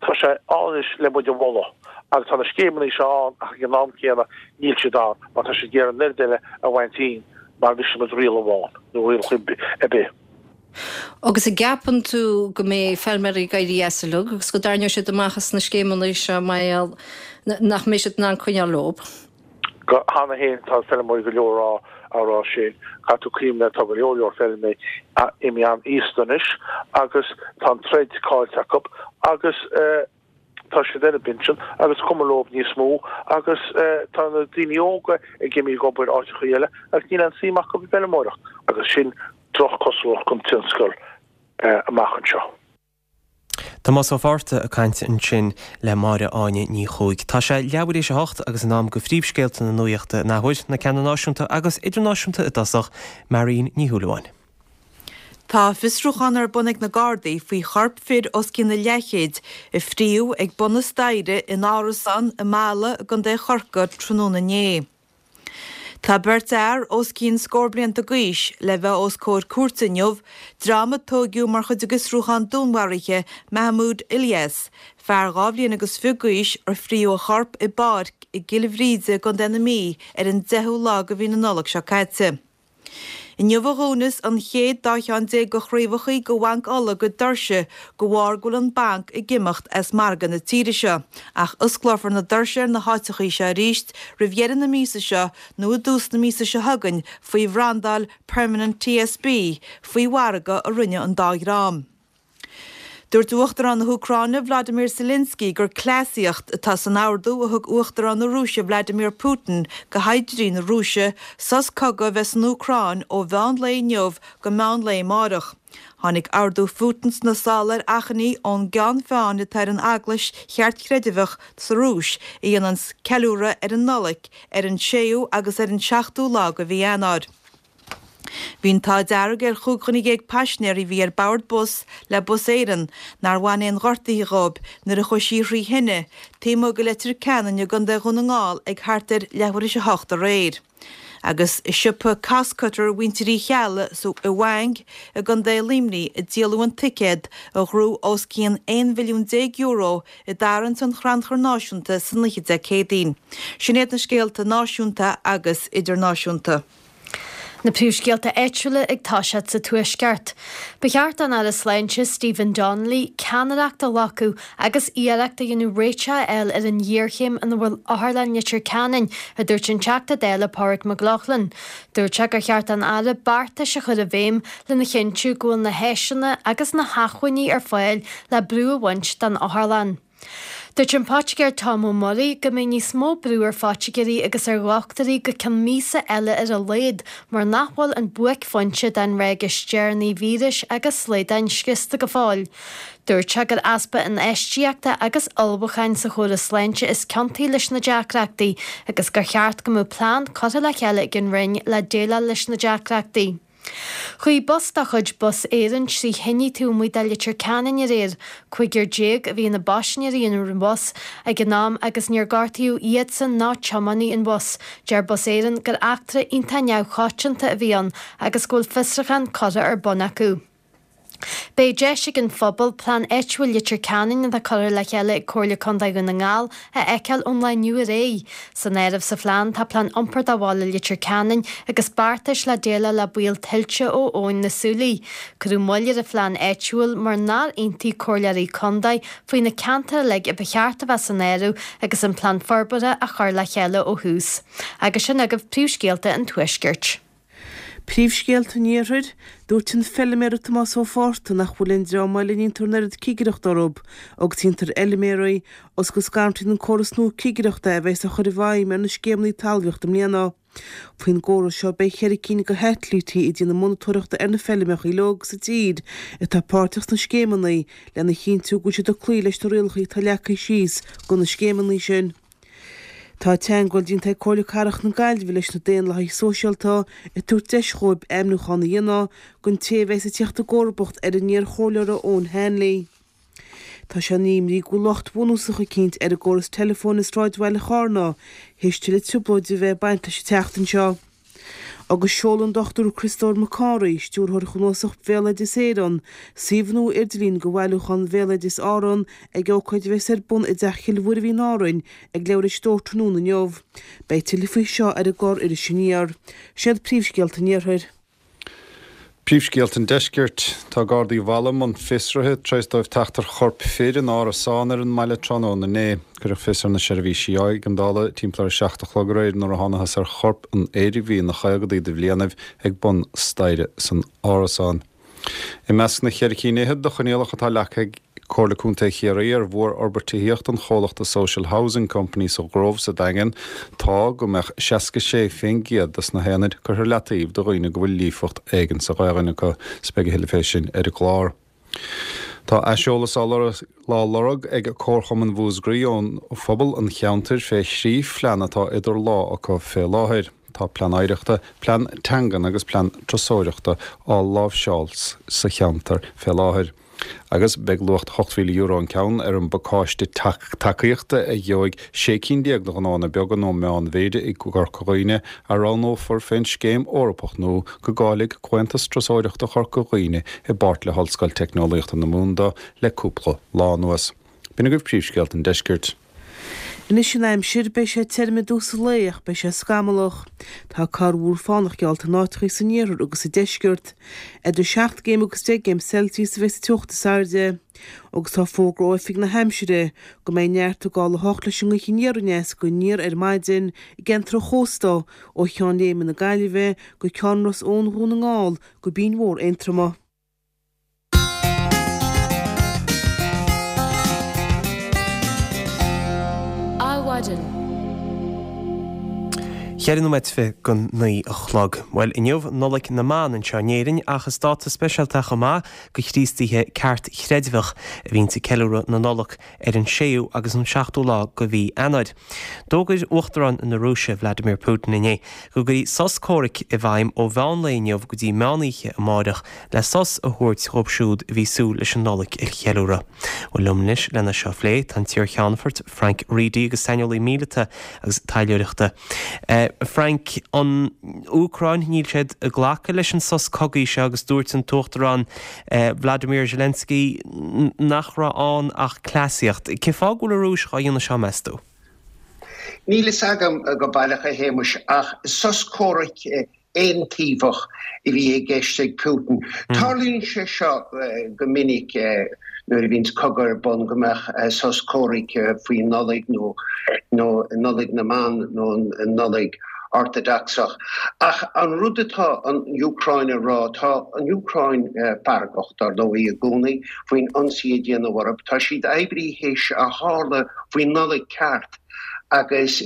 tá sé ann anois le muid a mholadh agus tá na scéimeanna seo ann ach ag an am céanna níl siad ann mar tá siad ag iarraidh an oiread eile a bhaint dínn mar bhí muid riail amháin nó riail ar bith. Agus an gceapann tú go mbeidh feilméaraí ag éirí as uilig agus go dtarraingeoidh siad amach as na scéimeanna seo mar gheall nach mbeidh siad in ann coinneáil leo? Cheana féin tá feilméaraí go leor á á rá sin. Caithfidh tú cuimhneamh tá go leor leor feilméaraí imithe an-aosta anois agus tá an troid caillte acu agus tá siad ar a bpinsean agus cuma leo níos mó agus tá na daoine óga ag imí ag obair áiteachaí eile agus níl aon suim acu i bhfeilméaracht agus sin droch-chosúlacht don tionscal amach anseo. Tomás Ó Fátharta ag caint ansin le Máire Áine Ní Chuaig. Tá sé leathuair théis a hocht agus in am go phríomhscéalta na nuachta an athuair, na ceanna náisiúnta agus idirnáisiúnta i dtosach, Marion Ní Shúilleabháin. Tá fiosrúchán ar bun ag na Gardaí faoi chorp fir os cionn a leathchéid a fríodh ag bun na staighre in árasán i Mala i gContae Chorcaí tráthnóna inné. Tá beirt fhear os cionn scór blianta d'aois le bheith os comhair cúirte inniu, dream a tóigeadh mar chuid de fhiosrúchán dúnmharaithe Mahmoud Ilyas, fear dhá bhliain agus fiche d'aois ar fríodh a chorp i bpáirc i gCill Bhríde i gContae na Mí ar an deichiú lá de mhí na Nollag seo caite. Inniu a dhúnas an chéad dá cheann déag de chraobhachaí de Bhanc Uladh a gcuid doirse de bharr go bhfuil an banc ag imeacht as margadh na tíre seo, ach osclófar na doirse ar na háiteachaí seo arís roimh dheireadh na míosa seo nó i dtús na míosa seo chugainn faoi bhrandáil Permanent TSB faoi mhargadh a rinne an dá dhream. Dúirt Uachtarán na hÚcráine Vladimir Zelensky gur cleasaíocht atá san ordú a thug Uachtarán na Rúise Vladimir Putin go shaighdiúirí na Rúise sos cogaidh a bheith san Úcráin ó mheán lae inniu go meán lae amárach. Tháinig ordú Phutin sna sála ar achainí ón gceann feadhain atá ar an Eaglais Cheartchreidmheach sa Rúis a dhéananns ceiliúradh ar an Nollaig ar an séú agus ar an seachtú lá de mhí Eanáir. Bhí an t-ádh dearg ar chúig dhuine dhéag paisinéirí a bhí ar bord bus le Bus Éireann nár bhain aon ghortuithe dhóibh nuair a chuaigh sí thrí thine taobh amuigh de Leitir Ceanainn i gContae Dhún na nGall ag thart ar leathuair théis a hocht aréir. Agus i siopa Costcutter mhuintir Uí Cheallaigh i bhFaing i gContae Luimnigh a díoladh an ticéad a ghnóthaigh os cionn aon mhilliún déag euro i dtarraingt an Chrannchuir Náisiúnta san oíche Dé Céadaoin. Sin iad na scéalta náisiúnta agus idirnáisiúnta. Na príomhscéalta áitiúla ag toiseacht sa Tuaisceart. Ba cheart don Aire Sláinte Stephen Donnelly ceannaireacht a ghlacadh agus iarracht a dhéanamh réiteach a fháil ar an ghéarchéim ina bhfuil Otharlann Leitir Ceanainn, a dúirt an Teachta Dála Pádraig Mac Lochlainn. Dúirt sé gur cheart don Aire beartais a chur i bhfeidhm lena chinntiú go bhfuil na háiseanna agus na hacmhainní ar fáil le brú a bhaint den otharlann. Dúirt an Poitigéir Tom Ó Muirí go mbeidh níos mó brú ar phoitigéirí agus ar dhochtúirí go ceann míosa eile ar a laghad mar nach bhfuil an buaicphointe den ráig is deireanaí víris agus slaodáin scriosta go fóill. Dúirt sé gur easpa infheistíochta agus ullmhúcháin sa chóras sláinte is ciontaí leis na deacrachtaí agus gur cheart go mbeadh plean curtha le chéile ag an Roinn le déileáil leis na deacrachtaí. Chuaigh bus de chuid Bus Éireann trí thine taobh amuigh de Leitir Ceanainn aréir. Cúigear déag a bhí ina bpaisinéirí ar an bhus ag an am agus níor gortaíodh iadsan ná tiománaí an bhus. Deir Bus Éireann gur eachtra iontach neamhchoitianta a bhí ann agus go bhfuil fiosrúchán curtha ar bun acu. Beidh deis ag an phobal Plean Áitiúil Leitir Ceanainn atá curtha le chéile ag Comhairle Contae Dhún na nGall a fheiceáil ón lá inniu ar aghaidh. San áireamh sa phlean tá plean iompair do bhaile Leitir Ceanainn agus beartais le déileáil le baol tuilte ó Abhainn na Súilí. Cuireadh moill ar an phlean áitiúil mar nár aontaigh comhairleoirí contae faoi na ceantair uilig a ba cheart a bheith san áireamh agus an plean forbartha á chur le chéile ó thús. Agus sin agaibh príomhscéalta an Tuaiscirt. Príomhscéalta an Iarthair, Dúirt an feilméara Tomás Ó Fátharta nach bhfuil aon dream eile a ndéantar an oiread cigireachta orthu agus a dhéantar ar fheilméaraí agus go scanraíonn an córas nua cigireachta a bheas á chur i bhfeidhm ar na scéimeanna talmhaíochta i mbliana. Faoin gcóras seo beidh ceithre cinn de shaitilítí ag déanamh monatóireachta ar na feilmeacha uilig sa tír atá páirteach sna scéimeanna lena chinntiú go bhfuil siad ag cloí leis na rialacha atá leagtha síos do na scéimeanna sin. Tá teagmháil déanta ag Comhairle Cathrach na Gaillimhe leis na Daonlathaithe Sóisialta ag tabhairt deis dhóibh ainmniúchán a dhéanamh don té a bheas ag teacht i gcomharbacht ar an iar-chomhairleoir Eoin Hanley. Tá sé ina imní go bhfuil locht bunúsach eicínt ar an gcóras teileafóin i sráidbhaile Chárna théis tuilleadh trioblóide a bheith ag baint leis an tseachtain seo. Agus seolann an Dochtúir Criostóir Mac Cárthaigh, Stiúrthóir Chnuasach Bhéaloideas Éireann, suíomh nua idirlín do Bhailiúchán Bhéaloideas Árann ag ócáid a bheas ar bun i dTeach Chill Mhuirbhigh in Árainn ag leathuair théis a dó tráthnóna inniu. Beidh tuilleadh faoi seo ar an gclár Iris Aniar. Siad príomhscéalta an Iarthair. Príomhscéalta an Deiscirt, Tá Gardaí Mhala i mbun fiosraithe tar éis dóibh teacht ar chorp fir in árasán ar an mbaile tráthnóna inné. Cuireadh fios ar na seirbhísí éigeandála timpeall ar a seacht a chlog aréir nuair a thánathas ar chorp an fhir a bhí ina chaogadaí de bhlianaibh ag bun staighre san árasán. I measc na cheithre cinn fhichead de choinníollacha atá leagtha ag Comhairle Contae Chiarraí ar mhórfhorbairt tithíochta an chomhlachta Social Housing Company sa Ghrove sa Daingean tá go mbeadh seasca sé faoin gcéad des na haonaid curtha ar leataobh do dhaoine go bhfuil líofacht éigin sa Ghaelainn acu. 'S beidh a thuilleadh fé sin ar an gclár. Tá aiseolas á lorg ag Comharchumann Mhúscraí ón phobal an cheantair fé thrí phlean atá idir lámha acu fé láthair. Tá plean oidhreachta, plean teangan agus plean turasóireachta á láimhseáil sa cheantar fé láthair. Agus beidh luach ocht mhíle euro an ceann ar an bpacáiste tacaíochta a gheobhaidh sé cinn déag de ghnóanna beaga nó meánmhéide i gCorca Dhuibhne a roghnófar fén scéim Eorpach nua go gcáiligh Comhaontas Turasóireachta Chorca Dhuibhne i bpáirt le hOllscoil Teicneolaíochta na Mumhan dó le cúpla lá anuas. B'in agaibh príomhscéalta an deiscirt. Anois an aimsir, beidh sé tirim i dtús an lae ach beidh sé scamallach. Tá corrmhúr fánach geallta in áiteachaí san iarthar agus sa deisceart. Idir seacht gcéim agus deich gcéim Celsius a bheidh sa teocht is airde. Agus tá fógra ó Oifig na hAimsire go mbeidh neart ag dul a hocht leis an ngaoth aniar aneas go aniar ar maidin i gceantar an chósta ó Cheann Léime na Gaillimhe go Ceann Ros Eoin Dhún na nGall go Binn Mhór Aontroma. Adhmhaidin. Ceithre nóiméad fiche go naoi a chlog. Bhuel, inniu Nollaig na mBan anseo in Éirinn ach is dáta speisialta chomh maith do Chríostaithe ceartchreidmheach a bhíonns ag ceiliúradh na Nollag ar an séú agus an seachtú lá de mhí Eanáir. D'fhógair Uachtarán na Rúise, Vladimir Putin inné go gcuirfí sos comhraic i bhfeidhm ó mheán lae inniu go dtí meán oíche amáireach le sos a thabhairt dhóibh siúd a bhí súil leis an Nollaig a cheiliúradh. Bhuel, liom anois lena seo a phlé, tá an t-iarcheannfort Frank Reidy agus saineolaí míleata agus taidhleoireachta. Frank, an Úcráin, níl siad ag glacadh leis an sos cogaidh seo agus dúirt an tUachtarán Vladimir Zelensky nach raibh ann ach cleasaíocht. Cén fáth go bhfuil an Rúis dhá dhéanamh seo, meas tú? Níl fhios agam go baileach, a Shéamuis, ach sos comhraic aontaobhach a bhí i gceist ag Putin. Tarlaíonn sé seo go minic nuair a bhíonns cogadh ar bun, go mbeadh sos comhraic faoi Nollaig nó nó Nollaig na mBan nó an Nollaig Ortadocsach. Ach an rud atá an Úcráin a rá, tá an Úcráin feargach, dar ndóigh, i gcónaí faoin ionsaí a déanadh orthu. Tá siad oibrithe théis a tharla faoi Nollaig ceart. agus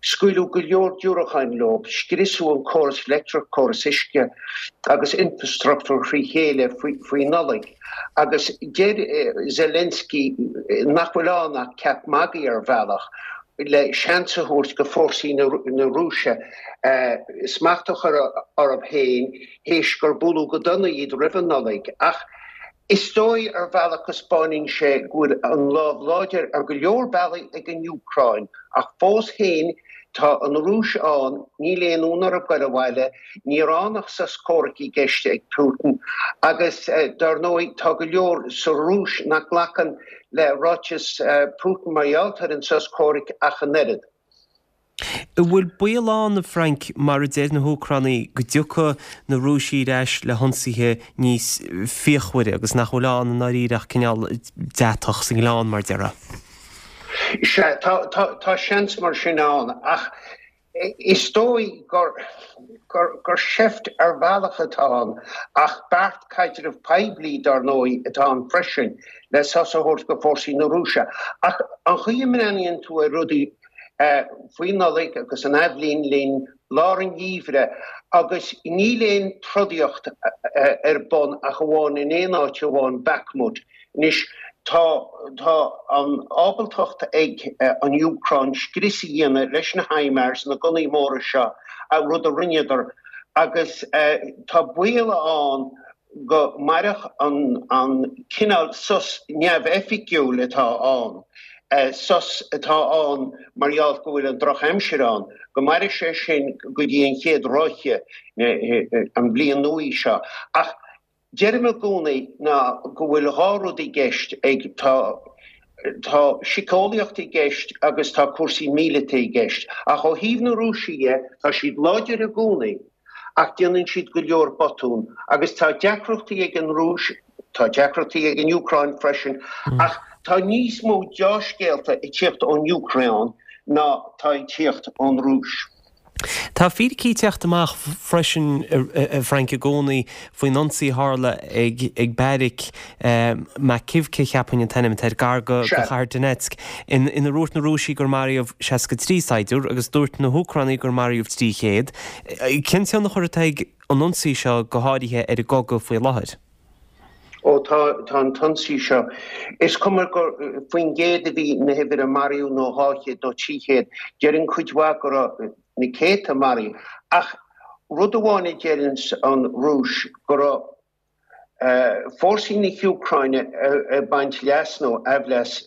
scaoileadh go leor diúracáin leo, scriosadh an córas leictreach, córas uisce agus infrastruchtúr thrí chéile faoi Nollaig. Agus deir Zelensky nach bhfuil ann ach ceap magaidh ar bhealach le seans a thabhairt go fórsaí na Rúise smacht a chur orthu féin théis gur bualadh go dona iad roimh an Nollaig. Ach Is dóigh ar bhealach go 'spáineann sé go bhfuil an lámh láidir ar go leor bealaí ag an Úcráin, ach fós féin tá an Rúis ann, níl aon fhonn orthu goil abhaile, ní raibh ann ach sos comhraic i gceist ag Putin agus dar ndóigh tá go leor sa Rúis nach nglacann le ráiteas Putin mar gheall ar an sos comhraic ach an oiread. An bhfuil baol ann, a Frank, mar a deir na hÚcránaigh, go dtiocfaidh na Rúisigh ar ais le hionsaithe níos fíochmhaire agus nach bhfuil ann i ndáiríre ach cineál deatach sa ngleann, mar a déarfá? Sea, tá seans mar sin ann, ach is dóigh gur seift ar bhealach atá ann, ach beart caidreamh poiblí, dar ndóigh, atá ann freisin, le sos a thabhairt go fórsaí na Rúise. Ach an chaoi a mbreathnaíonn tú ar rudaí, faoi Nollaig agus an athbhliain linn, lár an gheimhridh, agus níl aon trodaíocht ar bun ach amháin in aon áit amháin, Bakhmut. Anois, tá tá an ábaltacht ag an Úcráin scrios a dhéanamh leis na HIMARS, na gunnaí móra seo, rud a rinneadar, agus tá baol ann go mairfeadh an cineál sos neamhoifigiúil atá ann, sos atá ann mar gheall go bhfuil an drochaimsir ann, go mairfidh sé sin go dtí an chéad ráithe, an bhliain nua seo. Ach deirim i gcónaí ná go bhfuil dhá rud i gceist ag, tá, tá síceolaíocht i gceist agus tá cúrsaí míleata i gceist. Ach ó thaobh na Rúise dhe, tá siad láidir i gcónaí. ach déanann siad go leor botún agus tá deacrachtaí ag an Rúis, tá deacrachtaí ag an Úcráin freisin, ach tá níos mó deá-scéalta ag tíocht ón Úcráin ná tá ag tíocht ón Rúis. Tá fíricí ag teacht amach freisin, a Frank, i gcónaí faoin ionsaí a tharla ag beairic Makiivka, cheapfainn an t-ainm atá air, gar do chathair Donetsk, inar dhúirt na Rúisigh gur maraíodh seasca trí saighdiúir agus dúirt na hÚcránaigh gur maraíodh trí chéad. Cén tionchar atá ag an ionsaí seo go háirithe ar an gcogadh faoi láthair? Ó tá, tá an t-ionsaí seo. Is cuma gur faoin gcéad a bhí na huimhir a maraíodh nó dhá chéad nó trí chéad, deireann cuid mhaith go raibh na céadta maraithe. Ach rud amháin a deireanns an Rúis go raibh fórsaí na hÚcráine ag baint leas nó aimhleas,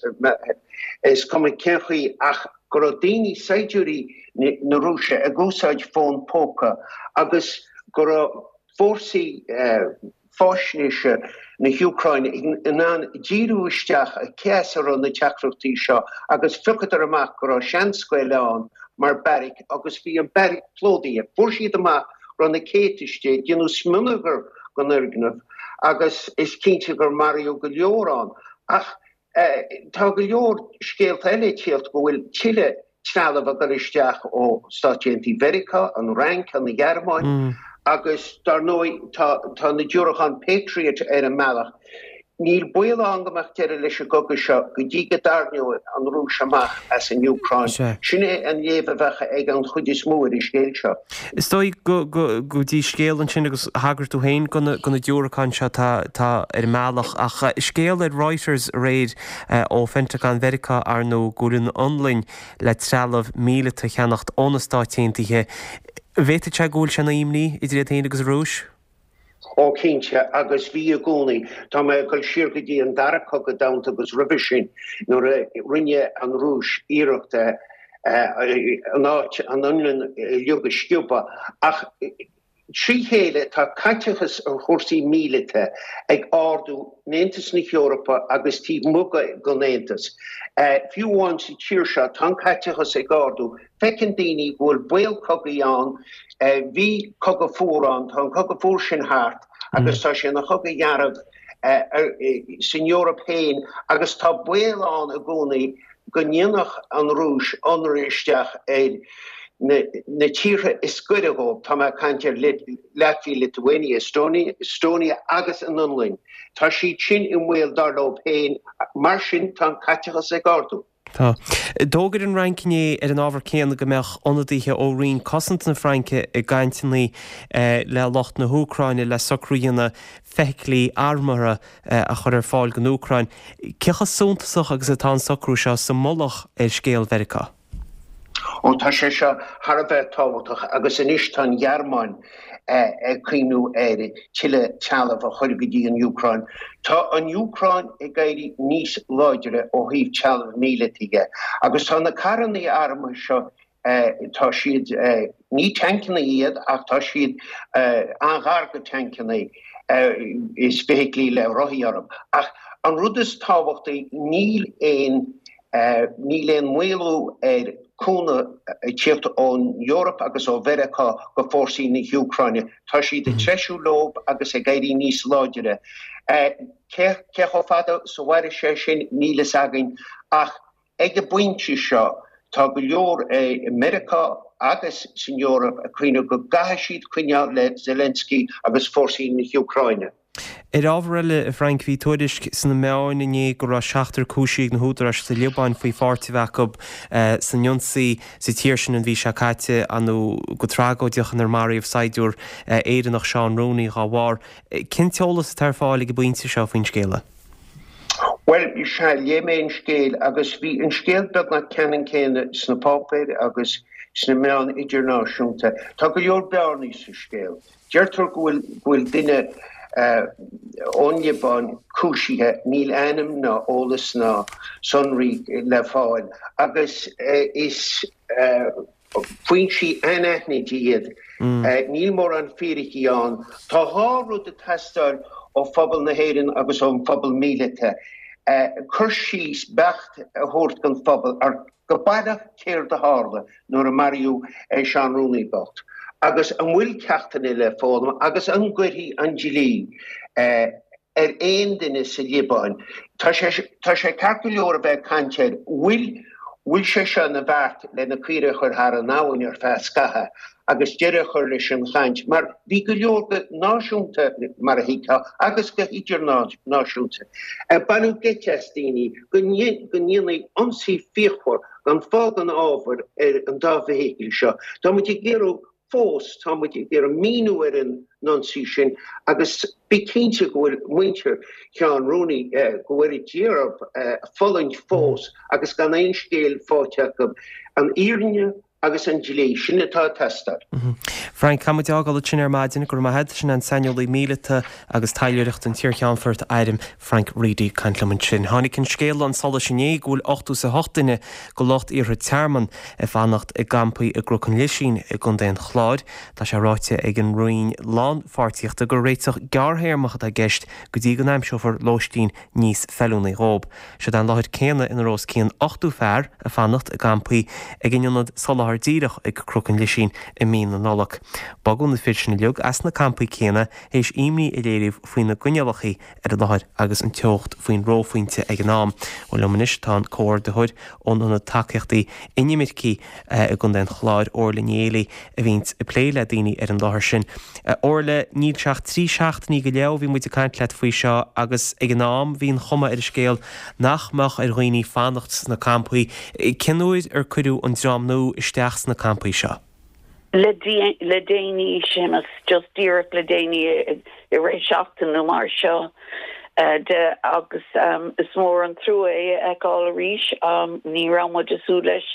is cuma cén chaoi, ach go raibh daoine, saighdiúirí na Rúise ag úsáid fón póca agus go raibh fórsaí faisnéise na hÚcráine in ann díriú isteach cé as a raibh na teachtaireachtaí seo agus phiocadar amach go raibh seanscoil ann mar beairic agus bhí an beairic plódaithe. Fuair siad amach go raibh na céadta istigh, déanadh smionagar den fhoirgneamh agus is cinnte gur maraíodh go leor ann. Ach tá go leor scéalta eile ag tíocht go bhfuil tuilleadh trealamh ag dul isteach ó Stáit Aontaithe Mheiriceá, an Fhrainc, an Ghearmáin agus dar ndóigh tá tá na diúracáin Patriot ar an mbealach. Níl baol ann go mbeadh deireadh leis an gcogadh seo go dtí go dtarraingeoidh an Rúis amach as an Úcráin. Sin é an léamh a bheadh ag an chuid is mó ar an scéal seo. Is dóigh go go dtí scéal ansin agus thagair tú féin go na go na diúracáin seo atá atá ar an mbealach ach scéal ar Reuters aréir ó Phentagon Mheiriceá ar ndóigh go bhfuil an Fhionlainn le trealamh míleata a cheannacht ó na Stáit Aontaithe. An bhféadfadh sé go bhfuil sé ina imní idir iad féin agus an Rúis? Ó cinnte, agus bhí i gcónaí. Tá mé ag dul siar go dtí an Dara Cogadh Domhanda agus roimhe sin, nuair a rinne an Rúis iarracht an áit, an Fhionlainn uilig a sciobadh. Ach Trí chéile, tá caiteachas ar chúrsaí míleata ag ardú in Aontas na hEorpa agus taobh amuigh den Aontas. Fiú amháin sa tír seo, tá an caiteachas ag ardú. Feiceann daoine go bhfuil baol cogaidh ann. Bhí cogadh fuar ann, tá an cogadh fuar sin thart agus tá sé ina chogadh dearg san Eoraip féin agus tá baol ann i gcónaí go ndéanfadh an Rúis ionradh isteach ar na tíortha is gaire dhóibh, tá mé ag caint ar Latvia, Lithuania, Estonia agus an Fhionlainn. Tá siad sin i mbaol dar leo féin, mar sin tá an caiteachas ag ardú. Tá. D'fhógair an Fhrainc inné ar an ábhar céanna go mbeadh ionadaithe ó Roinn Cosanta na Fraince i gcainteanna le lucht na hÚcráine le socrú a dhéanamh feithiclí armúrtha a chur ar fáil don Úcráin. Cé chomh suntasach agus atá an socrú seo sa mullach ar scéal Mheiriceá? Ó tá sé seo thar a bheith tábhachtach agus anois tá an Ghearmáin ag cuimhniú ar tuilleadh trealamh a chur go dtí an Úcráin. Tá an Úcráin ag éirí níos láidre ó thaobh trealamh míleata dhe agus tá na carranna armtha seo Tá siad, ní tancanna iad ach tá siad an-ghar do tancanna is feithiclí le rothaí orthu. Ach an rud is tábhachtaí, níl aon, níl aon mhaolú ar chúnamh ag tíocht ón Eoraip agus ó Mheiriceá go fórsaí na hÚcráine. Tá siad ag treisiú leo agus ag éirí níos láidre. Cé chomh fada is a mhairfidh sé sin, níl fhios againn ach Ag an bpointe seo, tá go leor i Meiriceá agus san Eoraip ag cuimhneamh go gcaithfidh siad coinneáil le Zelensky agus fórsaí na hÚcráine. Ar ábhar eile, a Frank, bhí tuairisc sna meáin inné go raibh seachtar cúisithe ag na húdaráis sa Liobáin faoi pháirt a bheith acu san ionsaí sa tír sin an mhí seo caite, nó go tragóideach, inar maraíodh saighdiúir Éireannach, Seán Rooney, dá bharr. Cén t-eolas atá ar fáil ag an bpointe seo faoin scéala? Bhuel, sea, léigh mé an scéal agus bhí an scéal beagnach ceannann céanna sna páipéir agus sna meáin idirnáisiúnta. Tá go leor bearnaí sa scéal. Deirtear go bhfuil go bhfuil duine ón Liobáin cúisithe, níl ainm ná eolas ná sonraí le fáil agus is Foinsí anaithnide iad. Níl mórán fíricí ann. Tá dhá rud ag teastáil ó phobal na hÉireann agus ón phobal míleata, cur síos beacht a thabhairt don phobal ar go baileach céard a tharla nuair a maraíodh Seán Rooney bocht Agus an bhfuil ceachtanna le foghlaim agus an gcuirfidh an dlí ar aon duine sa Liobáin? Tá sé tá sé ceart go leor a bheith ag caint air. Bhfuil bhfuil sé seo ina bheart le na caoirigh a chur thar an abhainn ar feadh scathaimh agus deireadh a chur leis an chaint? Mar bhí go leor go náisiúnta, mar a thuigfeá, agus go hidirnáisiúnta, ag bailiú geit as daoine go ndéanfaí ionsaí fíochmhar gan fáth gan ábhar ar an dá bhfeithicil seo. Tá muid ag iarraidh fós, tá muid ag iarraidh míniú ar an ionsaí sin agus bí cinnte go bhfuil muintir Sheáin Rooney, go bhfuil Dia orthu, fulaingt fós agus gan aon scéal faighte acu. An fhírinne agus an dlí, sin atá ag teastáil. Frank, caithfidh muid fhágáil ansin ar maidin. Go raibh maith agat. Sin an saineolaí míleata agus taidhleoireachta an t-iarcheannfort airm Frank Reidy ag caint liom ansin. Tháinig an scéal chun solais inné go bhfuil ochtó is a hocht duine de lucht iarrtha tearmainn ag fanacht i gcampaí i gCnoc an Lisín i gContae an Chláir. Tá sé ráite ag an Roinn Lánpháirtíochta gur réiteach gearrthéarmach atá i gceist go dtí go n-aimseofar lóistín níos feiliúnaí dhóibh. Siod é an láthair céanna ina raibh os cionn ochtó fear ag fanacht i gcampaí ag an ionad soláthair díreach ag Cnoc an Lisín i mí na Nollag. Bogadh na fir sin uilig as na campaí céanna théis imní a léiriú faoi na gcoinníollacha ar an láthair agus an teocht faoin reophointe ag an am. Bhuel liom anois tá an comhordaitheoir ón Ionad Tacaíochtaí Inimircigh i gContae an Chláir, Orla Ní Éalaí, a bhíonns ag plé le daoine ar an láthair sin. Orla, níl sé ach trí seachtainí go leith ó bhí muid ag caint leat faoi seo agus ag an am bhí an chuma ar an scéal nach mbeadh ar dhaoine fanacht sna campaí. Cén uair ar cuireadh an dream nua isteach sna campaí seo? Le le déanaí, Séamus, just díreach le déanaí i rith seachtain nó mar seo de agus is mór an trua é a fheiceáil arís. Ní raibh muid ag súil leis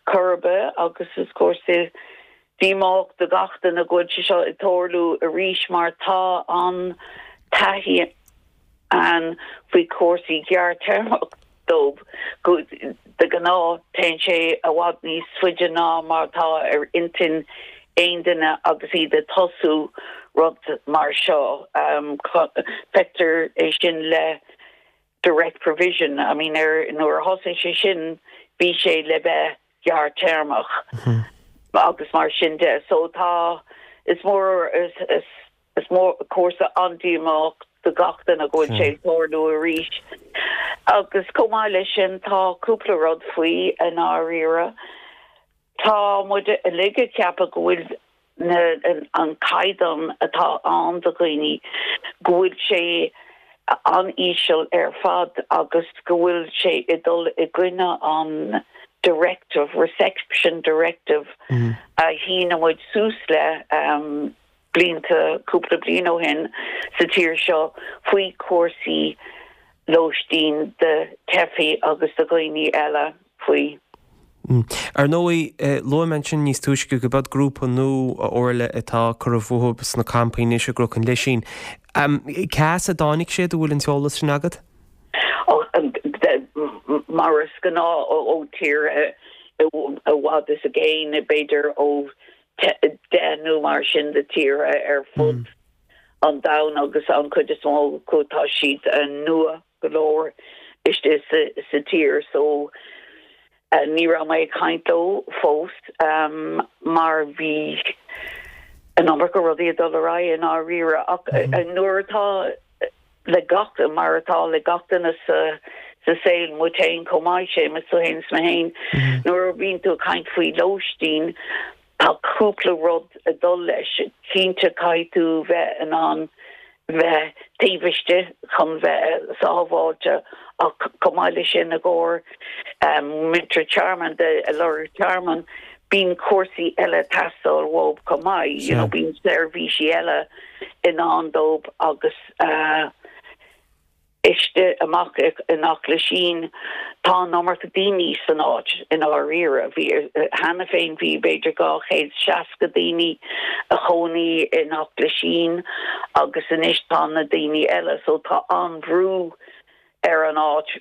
chor ar bith agus is cúrsa díomách do gach duine go bhfuil sé seo ag tarlú arís mar tá an taithí ann faoi chúrsaí gearrthéarmach dóibh go de ghnáth téann sé i bhfad níos faide ná mar atá ar intinn aon duine agus iad ag tosú rud mar seo. Feictear é sin le direct provision, I mean ar nuair a thosaigh sé sin bhí sé le bheith gearrthéarmach agus mar sin de. So tá is mór is is is mór cúrsa an-díomách do gach duine go bhfuil sé ag tarlú arís. Agus chomh maith leis sin tá cúpla rud faoi i ndáiríre. Tá muid uilig ag ceapadh go bhfuil na an caighdeán atá ann do dhaoine go bhfuil sé an-íseal ar fad agus go bhfuil sé ag dul i gcoinne an directive, reception directive a shínigh muid suas le blianta, cúpla bliain ó shin sa tír seo faoi chúrsaí lóistín do theifigh agus do dhaoine eile faoi. Ar ndóigh, luaigh mé ansin níos túisce go b'eod grúpa nua, a Orla, atá curtha fúthu sna campaí anois i gCnoc an Lisín. Cá as a dtáinig siad, an bhfuil an t-eolas sin agat? Mar is gnáth ó tír i bhfad is i gcéin, b'fhéidir ó deich nó mar sin de tíortha ar fud an domhain agus an chuid is mó acu tá siad nua go leor istigh sa tír so ní raibh mé ag caint leo fós mar bhí an iomarca rudaí ag dul ar aghaidh i ndáiríre ach nuair atá le gach mar atá le gach duine sa sa saol, muid féin chomh maith, Séamus, tú féin is mé féin, nuair a bhíonn tú ag caint faoi lóistín, tá cúpla rud ag dul leis. Cinnte caithfidh tú bheith in ann bheith taobh istigh chun bheith sábháilte ach chomh maith leis sin i gcomhair muintir tearmainn de ag lorg tearmann bíonn cúrsaí eile ag teastáil uathu chomh maith, you know bíonn seirbhísí eile i ndán dóibh agus istigh amach in Eachléisín tá an iomarca daoine san áit i ndáiríre. Bhí, cheana féin bhí b'fhéidir dhá chéad seasca daoine a chónaí in Eachléisín agus anois tá na daoine eile so tá an-bhrú ar an áit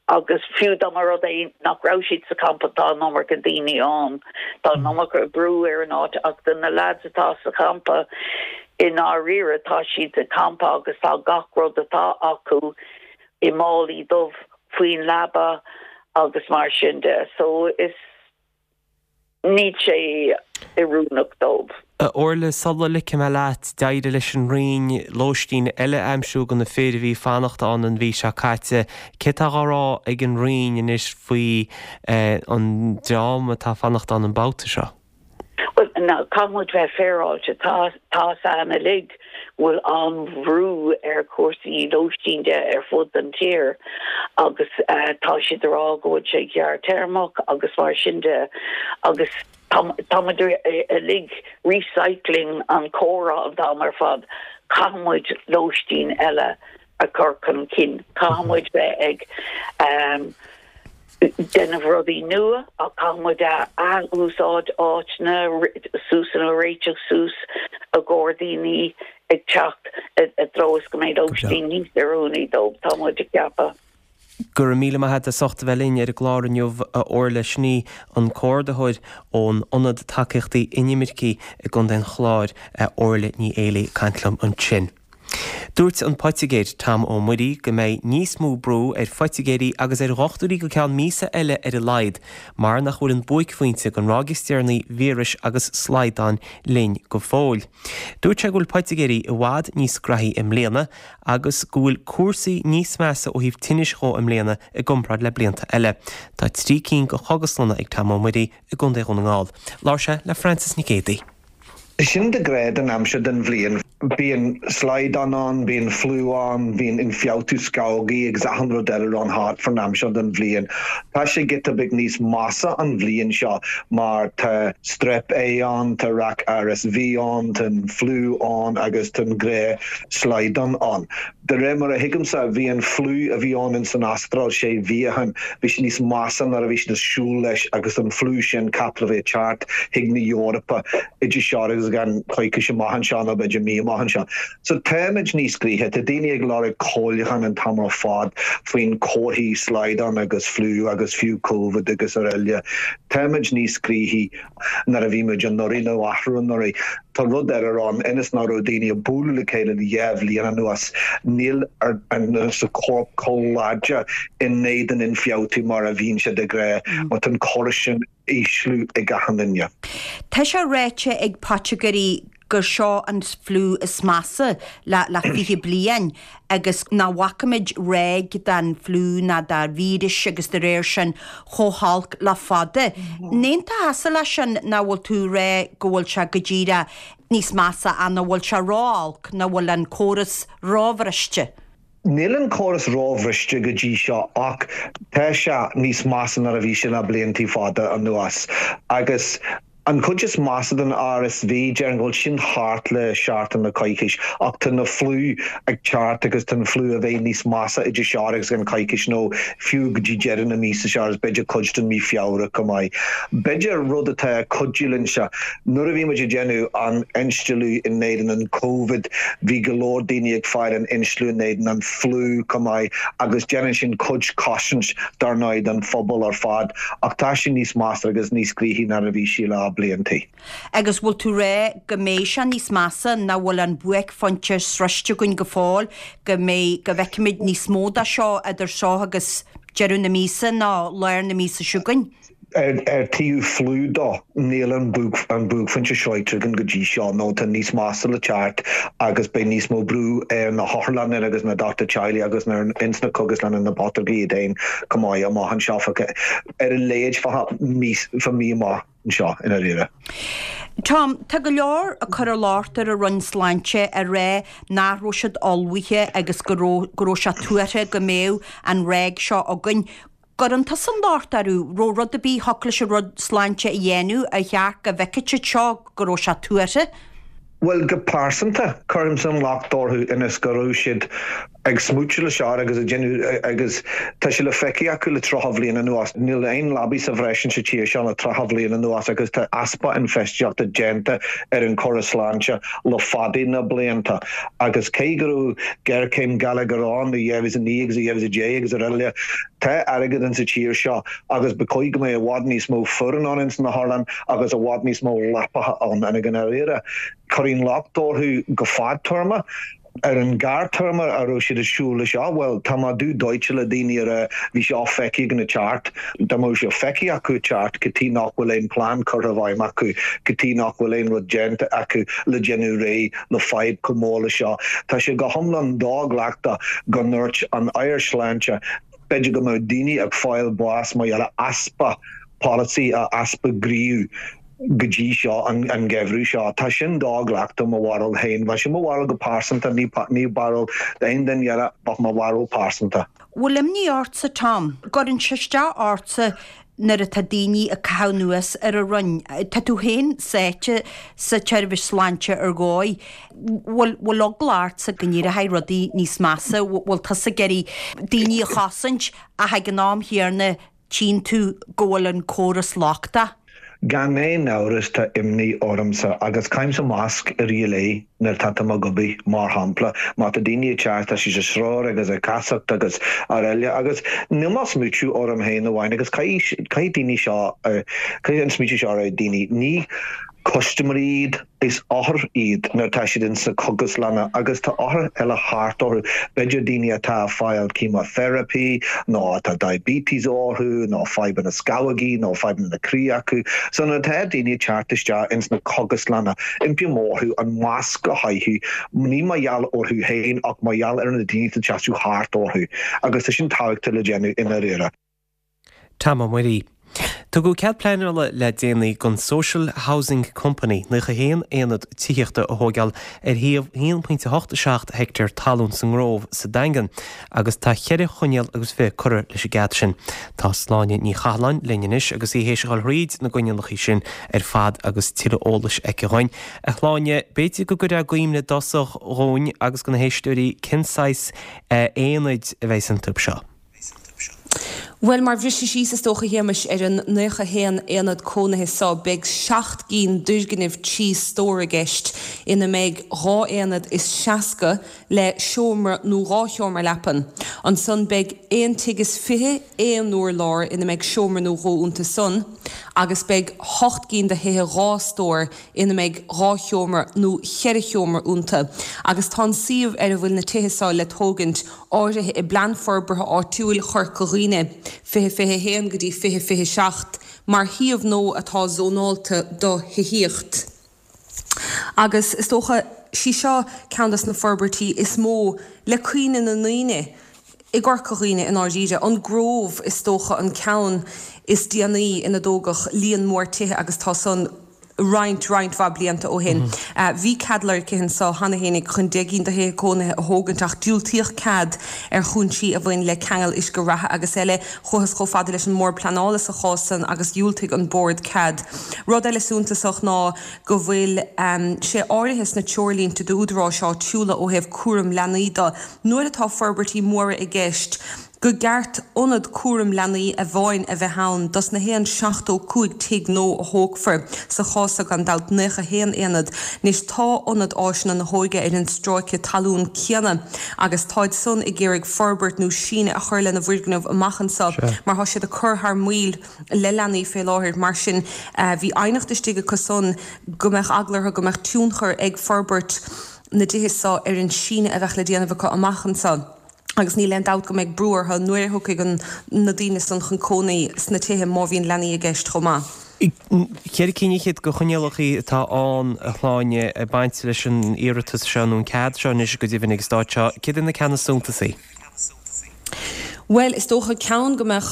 agus fiú dá mba rud é nach raibh siad sa champa tá an iomarca daoine ann. Tá an iomarca brú ar an áit ach do na lads atá sa champa i ndáiríre tá siad sa champa agus tá gach rud atá acu i málaí dubh faoin leaba agus mar sin de. So is. Níl sé oiriúnach dóibh. A Orla, sula ligfidh mé leat, d'éirigh leis an Roinn lóistín eile a aimsiú do na fir a bhí ag fanacht ann an mhí seo caite. Céard atá á rá ag an Roinn anois faoi an dream atá ag fanacht ann an babhta seo? Bhuel, caithfidh muid bheith féaráilte. Tá a fhios againn uilig go bhfuil an-bhrú ar chúrsaí lóistín de ar fud an tír agus tá siad ag rá go bhfuil sé gearrthéarmach agus mar sin de agus tá muid uilig recycling an comhrá an t-am ar fad, caithfidh muid lóistín eile a chur chun cinn, caithfidh muid bheith ag déanamh rudaí nua ach caithfidh muid ath-úsáid áiteanna suas nó réiteach suas i gcomhair daoine ag teacht i dtreo is go mbeidh lóistín níos oiriúnaí dóibh, tá muid ag ceapadh. Go raibh míle maith agat as ucht a bheith linn ar an gclár inniu, a Orla. Sin í an comhordaitheoir ón Ionad Tacaíochtaí Inimircigh i gContae an Chláir, Orla Ní Éilí, ag caint liom ansin. Dúirt an poitigéir Tom Ó Muirí go mbeidh níos mó brú ar phoitigéirí agus ar dhochtúirí go ceann míosa eile ar a laghad mar nach bhfuil an buaicphointe den ráig is deireanaí víris agus slaghdáin linn go fóill. Dúirt sé go bhfuil poitigéirí i bhfad níos graithí i mbliana agus go bhfuil cúrsaí níos measa ó thaobh tinnis dhó i mbliana i gcomparáid le blianta eile. Tá trí cinn de chógaslanna ag Tom Ó Muirí i gContae Dhún na nGall. Labhair sé le Frances Nic Géadaigh. Sin de ghnáth den aimsir den bhliain. Bíonn slaghdán ann, bíonn fliú ann, bíonn ionfhabhtú scamhógaí agus achan rud eile ann thart fán am seo den bhliain. Tá sé giota beag níos measa an bhliain seo mar tá Strep A ann, tá rac RSV ann, tá an fliú ann agus tá an gnáth-shlaghdán ann. De réir mar a thuigimse, bhí an fliú a bhí ann ins an Astráil sé mhí ó shin, bhí sé níos measa nuair a bhí siad ag siúl leis agus an fliú sin ceaptha le bheith ag teacht chuig na hEorpa idir seo agus i gceann coicís amach anseo nó b'fhéidir mí amach anseo. So táimid níos gnaithe, tá daoine ag lorg comhairliúchán an t-am ar fad faoin comharthaí slaghdán agus fliú agus fiú Covid agus araile. Táimid níos gnaithí nuair a bhí muid anuraidh nó athrú anuraidh. Tá rud eile ann, ionas nach raibh daoine ag bualadh le chéile le dhá bhliain anuas, níl an sa chorp chomh láidir in éadan ionfhabhtú mar a bhíonn sé de ghnáth, mar tá an córas sin ísliú ag achan duine. Tá sé ráite ag poitigéirí gur seo an fliú is measa le le fiche bliain agus nach bhfaca muid ráig den fliú ná de víris agus de réir sin chomh holc le fada. An aontófá leis sin nó bhfuil tú ag rá go bhfuil sé go díreach níos measa ach nach bhfuil sé ró-olc, nach bhfuil an córas róbhriste? Níl an córas róbhriste go dtí seo ach tá sé níos measa ná a bhí sé le bliantaí fada anuas agus An chuid is measa den RSV, déarfainn go bhfuil sin thart le seachtain nó coicís, ach tá na fliú ag teacht agus tá an fliú a bheidh níos measa idir seo agus an coicís nó fiú go dtí deireadh na míosa seo agus b'fhéidir cuid den mí Feabhra chomh maith. B'fhéidir rud atá ag cuidiú linn seo, nuair a bhí muid ag déanamh an instealladh in éadan an Covid, bhí go leor daoine ag fáil an instealladh in éadan an fliú chomh maith agus déanann sin cuid cosaint dar ndóigh don phobal ar fad ach tá sé níos measa agus níos gnaithí ná a bhí sé le bliantaí. Agus bhfuil tú ag rá go mbeidh sé níos measa, nach bhfuil an buaicphointe sroiste againn go fóill, go mbeidh, go bhfeicfimid níos mó de seo idir seo agus deireadh na míosa nó lár na míosa seo chugainn? Ar taobh fliú dó, níl an buaicphointe sroichte againn go dtí seo nó tá níos measa le teacht agus beidh níos mó brú ar na hotharlanna agus na dochtúirí teaghlaigh agus ins na cógaslanna na poitigéirí iad féin chomh maith amach anseo ar a laghad fá mhí amach anseo i ndáiríre. Tom, tá go leor ag cur an locht ar an Roinn Sláinte ag rá nach raibh siad ullmhaithe agus go raibh go raibh sé tuartha go mbeadh an ráig seo againn. Gcuireann tusa an locht orthu, raibh rud ar bith a thiocfadh leis an Roinn Sláinte a dhéanamh ar cheart go bhfeicfeadh siad seo go raibh sé tuartha? Bhuel, go pearsanta, cuirimse an locht orthu ionas go raibh siad ag smúiteadh leis seo agus ag déanamh agus tá sé le feiceáil acu le tríocha bhliain anuas. Níl aon leabaí sa bhreis insa tír seo le tríocha bhliain anuas agus tá easpa infheistíochta déanta ar an córas sláinte le fada na blianta agus cé go raibh géarchéim geilleagair ann i dhá mhíle a naoi agus i dhá mhíle a deich agus araile, tá airgead insa tír seo agus ba chóir go mbeadh i bhfad níos mó foireann ann ins na hotharlanna agus i bhfad níos mó leapacha ann. I ndáiríre, cuirim locht orthu go fadtéarma. Ar an gearrthéarma a raibh siad ag siúl leis seo, bhuel, tá mé dubh dóite le daoine a rá bhí seo feicthe ag na teart, dá mbeadh sé feicthe acu teart go dtí nach bhfuil aon plean curtha i bhfeidhm acu, go dtí nach bhfuil aon rud déanta acu le déanamh réidh le fadhb chomh mór le seo. Tá sé go hiomlán do-ghlactha go ndúirt an Aire Sláinte b'fhéidir go mbeadh daoine ag fáil bás mar gheall ar easpa polasaí, easpa gníomh. go dtí seo, an geimhreadh seo. Tá sin do-ghlactha mo bharúil féin. Bheadh sin mo bharúil go pearsanta, ní ní barúil d'aon duine eile ach mo bharúil pearsanta. Bhfuil imní ortsa, Tom? Gcuireann sé isteach ortsa nuair atá daoine ag caitheamh anuas ar an Roinn? Tá tú féin sáite sa tseirbhís sláinte ar dhóigh. Bhfuil bhfuil eagla ortsa go n-éireoidh rudaí níos measa? Bhfuil tusa ag iarraidh daoine a chosaint ach ag an am chéanna tchíonn tú go bhfuil an córas lochtach? Gan aon amhras tá imní ormsa agus caithimse masc i rith an lae nuair atá mé ag obair, mar shampla má tá daoine ag teacht tá siad ag srón agus ag casacht agus araile agus níl mé ag smaoitiú orm féin amháin agus caithfidh caithfidh daoine seo caithfidh an smaoitiú seo ar daoine ní custaiméirí iad, is othair iad nuair atá siad in sa chógaslanna agus tá othair eile thart orthu, b'fhéidir daoine atá ag fáil chemotherapy nó atá diabetes orthu nó fadhbanna scamhógaí nó fadhbanna croí acu. So nuair atá daoine ag teacht isteach ins na cógaslanna, impím orthu an masc a chaitheamh, ní mar gheall orthu féin ach mar gheall ar na daoine atá ag teacht thart orthu agus tá sin tábhachtach le déanamh i ndáiríre. Tom Ó Muirí. Tugadh cead pleanála le déanaí don Social Housing Company nócha haon aonad tithíochta a thógáil ar shuíomh haon pointe hocht seacht heicteár talún sa nGrove sa Daingean agus tá ceithre choinníoll agus fiche curtha leis an gcead sin. Tá Sláine Ní Chathalláin linn anois agus í théis a dhul thríd na gcoinníollacha sin ar fad agus tuilleadh eolais aici dhúinn. A Shláine, b'fhéidir go gcuirfeá i gcuimhne i dtosach dhúinn agus do na héisteoirí cén saghas aonaid a bheidh iontu seo. Bhuel, mar bhriseadh síos is dócha, a Shéamais, ar an naocha haon aonad cónaithe seo, beidh seacht gcinn d'fhoirgnimh trí stór i gceist, ina mbeidh dhá aonad is seasca le seomra nó dhá sheomra leapan. Ansan beidh aon tigh is fiche aon urlár ina mbeidh seomra nó dhó iontu san, agus beidh hocht gcinn de thithe dhá stór ina mbeidh dhá sheomra nó cheithre sheomra iontu. Agus tá an suíomh ar a bhfuil na tithe seo le tógaint áirithe i bPlean Forbartha Áitiúil Chorca Dhuibhne, fiche fiche a haon go dtí fiche fiche seacht, mar shuíomh nua atá zónálta do thithíocht. Agus is dócha, sí seo ceann des na forbairtí is mó le cuimhne na ndaoine i gCorca Dhuibhne i ndáiríre. An Grove is dócha an ceann is déanaí ina dtógadh líon mór tithe agus tá san roinnt, roinnt mhaith blianta ó shin. Bhí cead lorgtha anso cheana fhéinig chun deich gcinn de thithe cónaithe a thógaint ach diúltaíodh cead ar chúinsí a bhain le ceangal uisce reatha agus eile. Chuathas chomh fada leis an mBord Pleanála sa chás san agus dhiúltaigh an Bord cead. Rud eile suntasach ná go bhfuil sé áirithe sna treoirlínte d'údaráis áitiúla ó thaobh cúram leanaí de, nuair atá forbairtí móra i gceist, go gceart ionad cúram leanaí amháin a bheith ann dos na haon seachtó cúig tigh nua a thógfar, sa chás so gan dabht naocha haon aonad. Anois tá Ionad Áiseanna na hÓige ar an stráice talún céanna agus táid san ag iarraidh forbairt nó síneadh a chur lena bhfoirgneamh amach anso mar tá siad ag cur thar maoil le leanaí fé láthair. Mar sin bhí aighneacht istigh acu san go mbeadh eagla orthu go mbeadh tionchar ag forbairt na dtithe so ar an síneadh a bheadh le déanamh acu amach anso. agus níl aon dabht go mbeidh brú orthu nuair a thiocfaidh an na daoine san chun cónaí sna tithe má bhíonn leanaí i gceist chomh maith. Ceithre cinn fhichead de choinníollacha atá ann, a Shláine, ag baint leis an iarratas seo, nó an cead seo anois go deimhin ag an stát seo. Céard iad na ceanna is suntasaí? Bhuel, is dócha ceann go mbeadh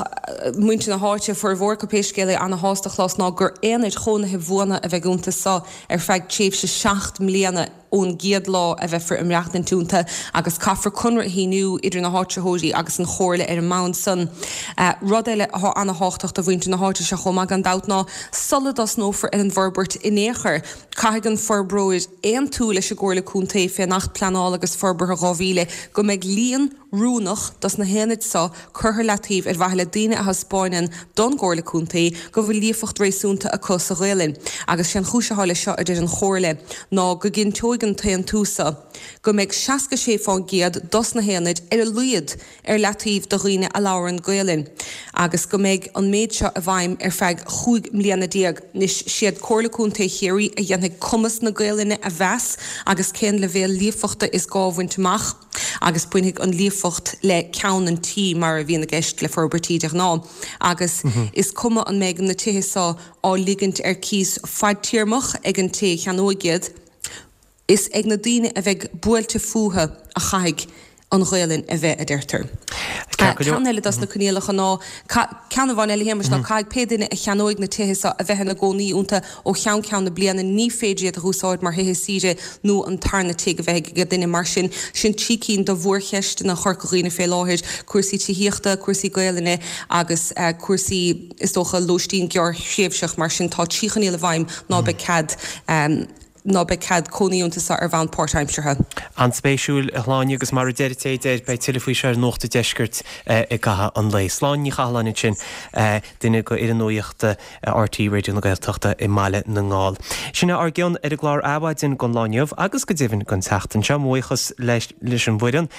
muintir na háite, formhór acu pé scéal é, ana-shásta a chlos ná gur aonaid chónaithe bhuana a bheidh iontu so ar feadh tréimhse seacht mbliana ón gcéad lá a bheifear ag maireachtaint iontu agus caithfear conradh a shíniú idir na háitritheoirí agus an Chomhairle ar an mbonn san. Rud eile atá ana-thábhachtach do mhuintir na háite seo chomh maith gan dabht ná sula dtosnófar ar an bhforbairt in aon chor, caithfidh an forbróir aontú leis an gComhairle Contae fén Acht Pleanála agus Forbartha dhá mhíle go mbeidh líon oiriúnach dos na haonaid so curtha leataobh ar mhaithe le daoine a thaispeáineann don gComhairle Contae go bhfuil líofacht réasúnta acu sa Ghaelainn. Agus sé an chúis athá leis seo, a deir an Chomhairle, ná go gcinnteoidh cheannóidh an t-aontú so, go mbeidh seasca sé fán gcéad dos na haonaid ar a laghad ar leataobh do dhaoine a labhrann Gaelainn agus go mbeidh an méid seo i bhfeidhm ar feadh chúig mbliana déag. Anois, siad Comhairle Contae Chiarraí a dhéanfaidh cumas na Gaelainne a mheas agus cén leibhéal líofachta is gá a bhaint amach agus bainfidh an líofacht le ceann an tí mar a bhíonn i gceist le forbairtí de ghnáth agus is cuma an mbeidh na tithe seo á ligint ar cíos fadtéarmach ag an té a cheannóidh iad. Is ag na daoine a bheidh buailte fúthu a chaithfidh an Ghaelainn a bheith, a deirtear. Ceann eile dos na coinníollacha ná, ceann amháin eile a Shéamais, ná caithfidh pé duine a cheannóidh na tithe seo a bheith ina gcónaí iontu ó cheann ceann na bliana, ní féidir iad a dh'úsáid mar thithe saoire nó an tarna tigh a bheith ag duine. Mar sin, sin trí cinn de mhórcheisteanna Chorca Dhuibhne fé láthair, cúrsaí tithíochta, cúrsaí Gaelainne agus cúrsaí, is dócha, lóistín gearrthréimhseach. Mar sin, tá trí choinníoll i bhfeidhm ná beidh cead. ná beidh cead cónaí iontu seo ar bhonn páirtaimseartha. An-spéisiúil, a Shláine, agus mar a deir an té a deir, beidh tuilleadh faoi seo ar Nuacht an Deiscirt i gcaitheamh an lae. Sláine Ní Chathalláin ansin, duine de fhoireann nuachta RTÉ Raidió na Gaeltachta i mBaile na nGall. Sin é ár gcion ar an gclár Adhmhaidin don lá inniu agus go deimhin don tseachtain seo. Mo bhuíochas leis an bhfoireann,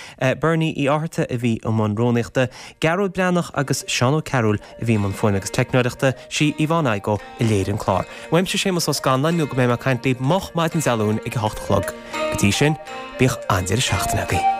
Bernie Uí Fhátharta a bhí i mbun rúnaíochta, Gearóid Breathnach agus Seán Ó Cearúil a bhí i mbun fuaime agus teicneoireachta, sí Yvonne Igoe a léirigh an clár. Uaimse Séamus Ó Scanláin nó go mbeidh mé ag caint libh moch maidin Dé Luain ag a hocht a chlog. Go dtí sin, bíodh an-deireadh seachtaine agaibh.